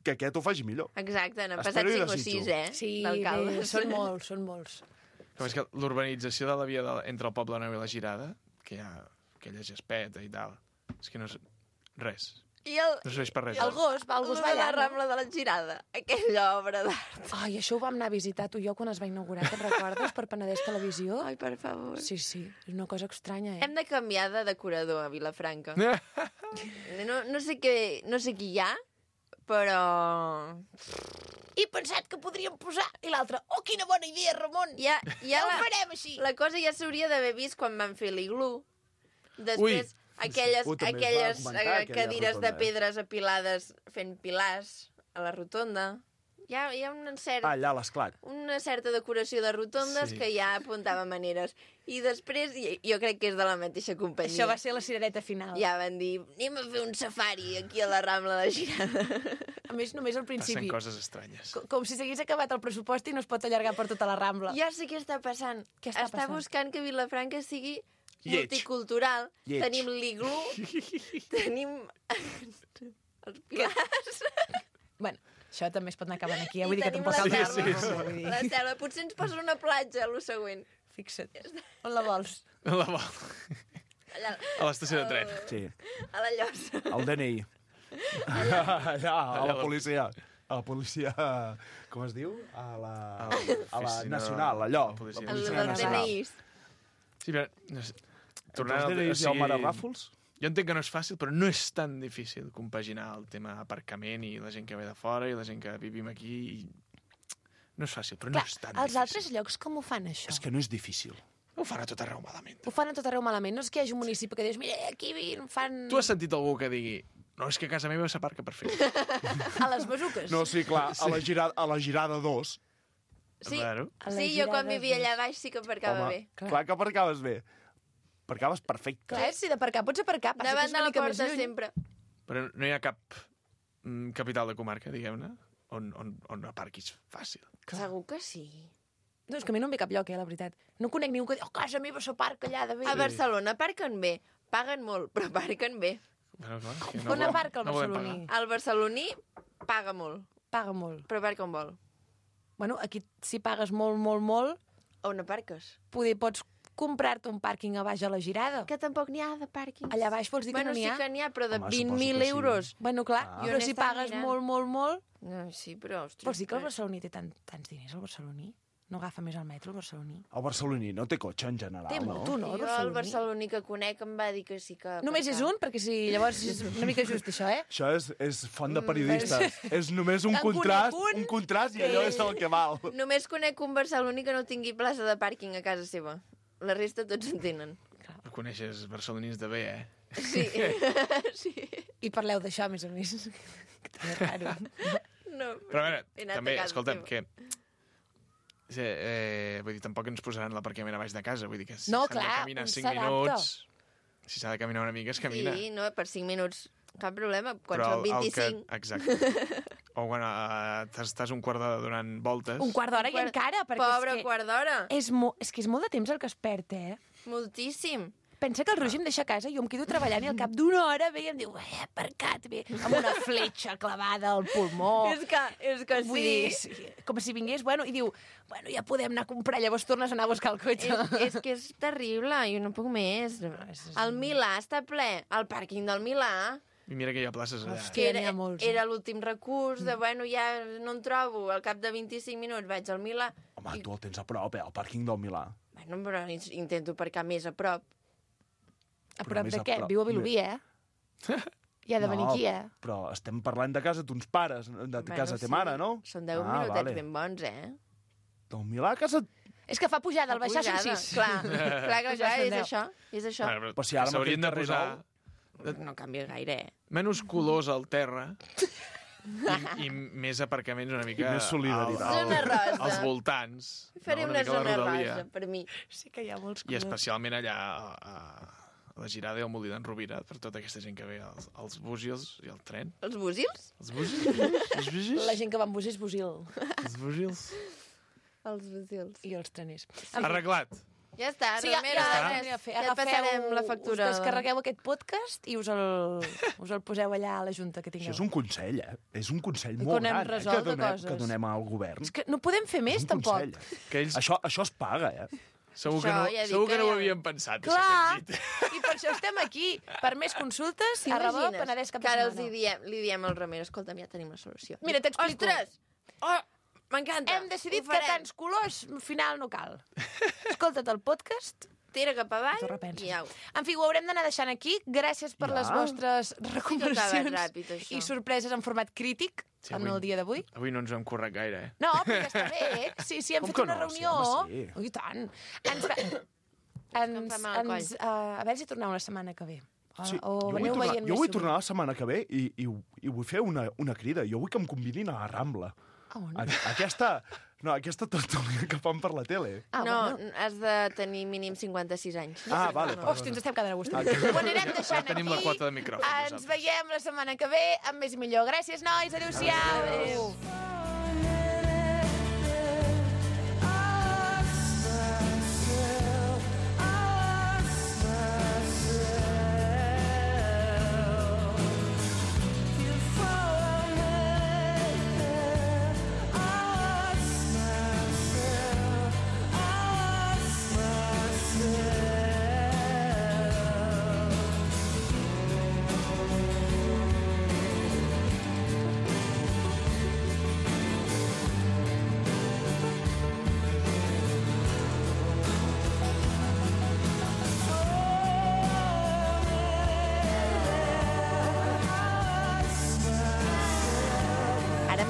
que aquest ho faci millor. Exacte, n'han passat 5 o 6, Sí, són molts. Com és que l'urbanització de la via entre el Poble Nou i la Girada, que hi ha aquella gespeta i tal, és que no és res. No serveix per res. El gos va allà. La Rambla de la Girada, aquella obra d'art. Ai, això ho vam anar a visitar tu i jo quan es va inaugurar, te'n recordes, per Penedès Televisió? Ai, per favor. Sí, és una cosa estranya, Hem de canviar de decorador a Vilafranca. No sé qui hi ha, però... He pensat que podríem posar... I l'altre, quina bona idea, Ramon! Ja ho farem així! La cosa ja s'hauria d'haver vist quan van fer l'iglú. Després... Aquelles cadires de pedres apilades fent pilars a la rotonda. Hi ha una certa decoració de rotondes que ja apuntava maneres. I després, jo crec que és de la mateixa companyia. Això va ser la cirereta final. Ja van dir, anem a fer un safari aquí a la Rambla de Girada. A més, només al principi. Passen coses estranyes. Com si s'hagués acabat el pressupost i no es pot allargar per tota la Rambla. Ja sé què està passant. Està buscant que Vilafranca sigui multicultural. Tenim l'iglú, tenim els pilars. Bueno, això també es pot anar acabant aquí. Vull dir que tampoc cal la selva. Potser ens posa una platja, el següent. Fixa't. On la vols? A l'estació de tren. Sí. A la Llosa. El DNI. Allà, a la policia. A la policia... Com es diu? A la nacional, allò. La policia nacional. Sí, però... Tornant al DNIs i al Mare Ràfols? Jo entenc que no és fàcil, però no és tan difícil compaginar el tema aparcament i la gent que ve de fora i la gent que vivim aquí. No és fàcil, però no és tan difícil. Els altres llocs com ho fan, això? És que no és difícil. Ho fan a tot arreu malament. Ho fan a tot arreu malament. No és que hi hagi un municipi que dius, mira, aquí fan... Tu has sentit algú que digui, no, és que a casa meva s'aparca perfecte. A les besuques? No, sí, clar, a la girada 2. Sí, jo quan vivia allà baix sí que aparcava bé. Clar que aparcaves bé. Aparcaves perfecte. Clar, si d'aparcar pots aparcar. Davant de la porta sempre. Però no hi ha cap capital de comarca, diguem-ne, on aparquis fàcil. Segur que sí. No, és que a mi no em ve cap lloc, la veritat. No conec ningú que digui, casa meva s'aparca allà de bé. A Barcelona aparquen bé. Paguen molt, però aparquen bé. Bueno, clar, on aparca el barceloní? El barceloní paga molt. Paga molt. Però aparca on vol. Bueno, aquí si pagues molt, molt, molt... On aparques? Pots comprar-te un pàrquing a baix a la girada. Que tampoc n'hi ha de pàrquings. Allà baix vols dir que no n'hi ha? Bueno, sí que n'hi ha, però de 20.000 euros. Bueno, clar, però si pagues molt, molt, molt... No, sí, però... Vols dir que el barceloní té tants diners, el barceloní? No agafa més el metro, el barceloní? El barceloní no té cotxe, en general, no? Té molt, no, el barceloní? El barceloní que conec em va dir que sí que... Només és un? Perquè si llavors és una mica just, això, eh? Això és font de periodistes. És només un contrast i allò és el que val. Només conec un barceloní que no tingui plaça de pàrquing a casa seva. La resta tots en tenen. Però coneixes barcelonins de bé, eh? Sí. Sí. I parleu d'això, a més a més. Que també és raro. No, però a veure, també, escolta'm, que... vull dir, tampoc ens posaran l'aparcament a baix de casa. Vull dir que si s'ha de caminar 5 minuts... Si s'ha de caminar una mica, es camina. Sí, no, per 5 minuts cap problema. Quan són 25... Exacte. O quan estàs un quart d'hora donant voltes... Un quart d'hora i encara, perquè Pobre quart d'hora. És que és molt de temps el que es perd, eh? Moltíssim. Pensa que el Roger em deixa a casa i jo em quedo treballant i al cap d'una hora ve i em diu, aparcat bé, amb una fletxa clavada al pulmó. És que sí. Vull dir, com si vingués, i diu, ja podem anar a comprar, llavors tornes a anar a buscar el cotxe. És que és terrible, jo no puc més. El Milà està ple, el pàrquing del Milà... I mira que hi ha places allà. Hòstia, era l'últim recurs de, ja no em trobo, al cap de 25 minuts vaig al Milà... Home, tu el tens a prop, el pàrquing del Milà. Bueno, però intento aparcar més a prop. A prop de què? Viu a Vilobí, eh? I ha de venir aquí, eh? Però estem parlant de casa d'uns pares, de casa de mare, no? Són 10 minutets ben bons, eh? Del Milà a casa... És que fa pujada, al baixar són 6. Clar, és això. Però si ara s'haurien de posar... No canvia gaire, eh? Menys colors al terra i més aparcaments una mica... I més solidaritat. Zona rosa. Als voltants. Faré una zona rosa, per mi. Sí que hi ha molts colors. I especialment allà a la Girada i al Molí d'en Rovira, per tota aquesta gent que ve als búsils i al tren. Els búsils? Els búsils. La gent que va amb búsils, búsil. Els búsils. Els búsils. I els treners. Arreglat. Ja està, sí, ja passarem la factura. Us descarregueu aquest podcast i us el poseu allà a la Junta que tingueu. Això és un consell, eh? És un consell molt gran que donem al govern. És que no podem fer més, tampoc. Això es paga, eh? Segur que no ho havíem pensat. Clar, i per això estem aquí. Per més consultes, @Penedès cap de setmana. Que ara li diem al Romero, escolta'm, ja tenim la solució. Mira, t'explico. Ostres! M'encanta. Hem decidit que tants colors, al final no cal. Escolta't el podcast, tira cap avall i au. En fi, ho haurem d'anar deixant aquí. Gràcies per les vostres recomanacions i sorpreses en format crític en el dia d'avui. Avui no ens hem currat gaire, eh? No, però ja està bé. Sí, hem fet una reunió. I tant. A veure si torneu la setmana que ve. Jo vull tornar la setmana que ve i vull fer una crida. Jo vull que em convidin a la Rambla. Aquesta tertúlia que fan per la tele. No, has de tenir mínim 56 anys. Vale. Hòstia, ens estem quedant a gust. Ho anirem deixant aquí. Tenim la quota de micròfons. Ens veiem la setmana que ve amb més i millor. Gràcies, nois. Adéu-siau. Adéu.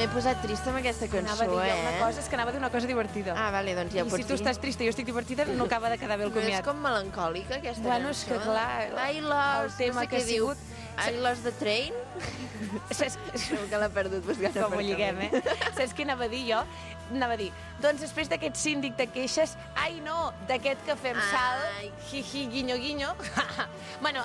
m'he posat trista amb aquesta cançó, Anava a dir una cosa, és que anava a dir una cosa divertida. Ah, vale, doncs ja ho I pots si tu dir. estàs trista i jo estic divertida, no acaba de quedar bé el comiat. No és com melancòlica, aquesta cançó? Bueno, és que clar, I lost, el tema no sé que ha què diu. sigut... I lost the train? Segur que l'ha perdut buscant com ho lliguem, Saps què anava a dir jo? Anava a dir, doncs després d'aquest síndic de queixes, ai no, d'aquest que fem salt, hi, guinyo, guinyo. Bueno,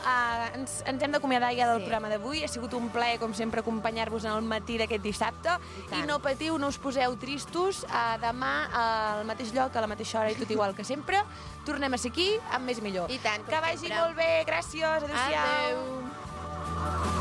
ens hem d'acomiadar ja del programa d'avui. Ha sigut un plaer, com sempre, acompanyar-vos en el matí d'aquest dissabte. I no patiu, no us poseu tristos. Demà, al mateix lloc, a la mateixa hora i tot igual que sempre, tornem a ser aquí amb més i millor. I tant, que vagi molt bé, gràcies, adéu-siau. Adéu.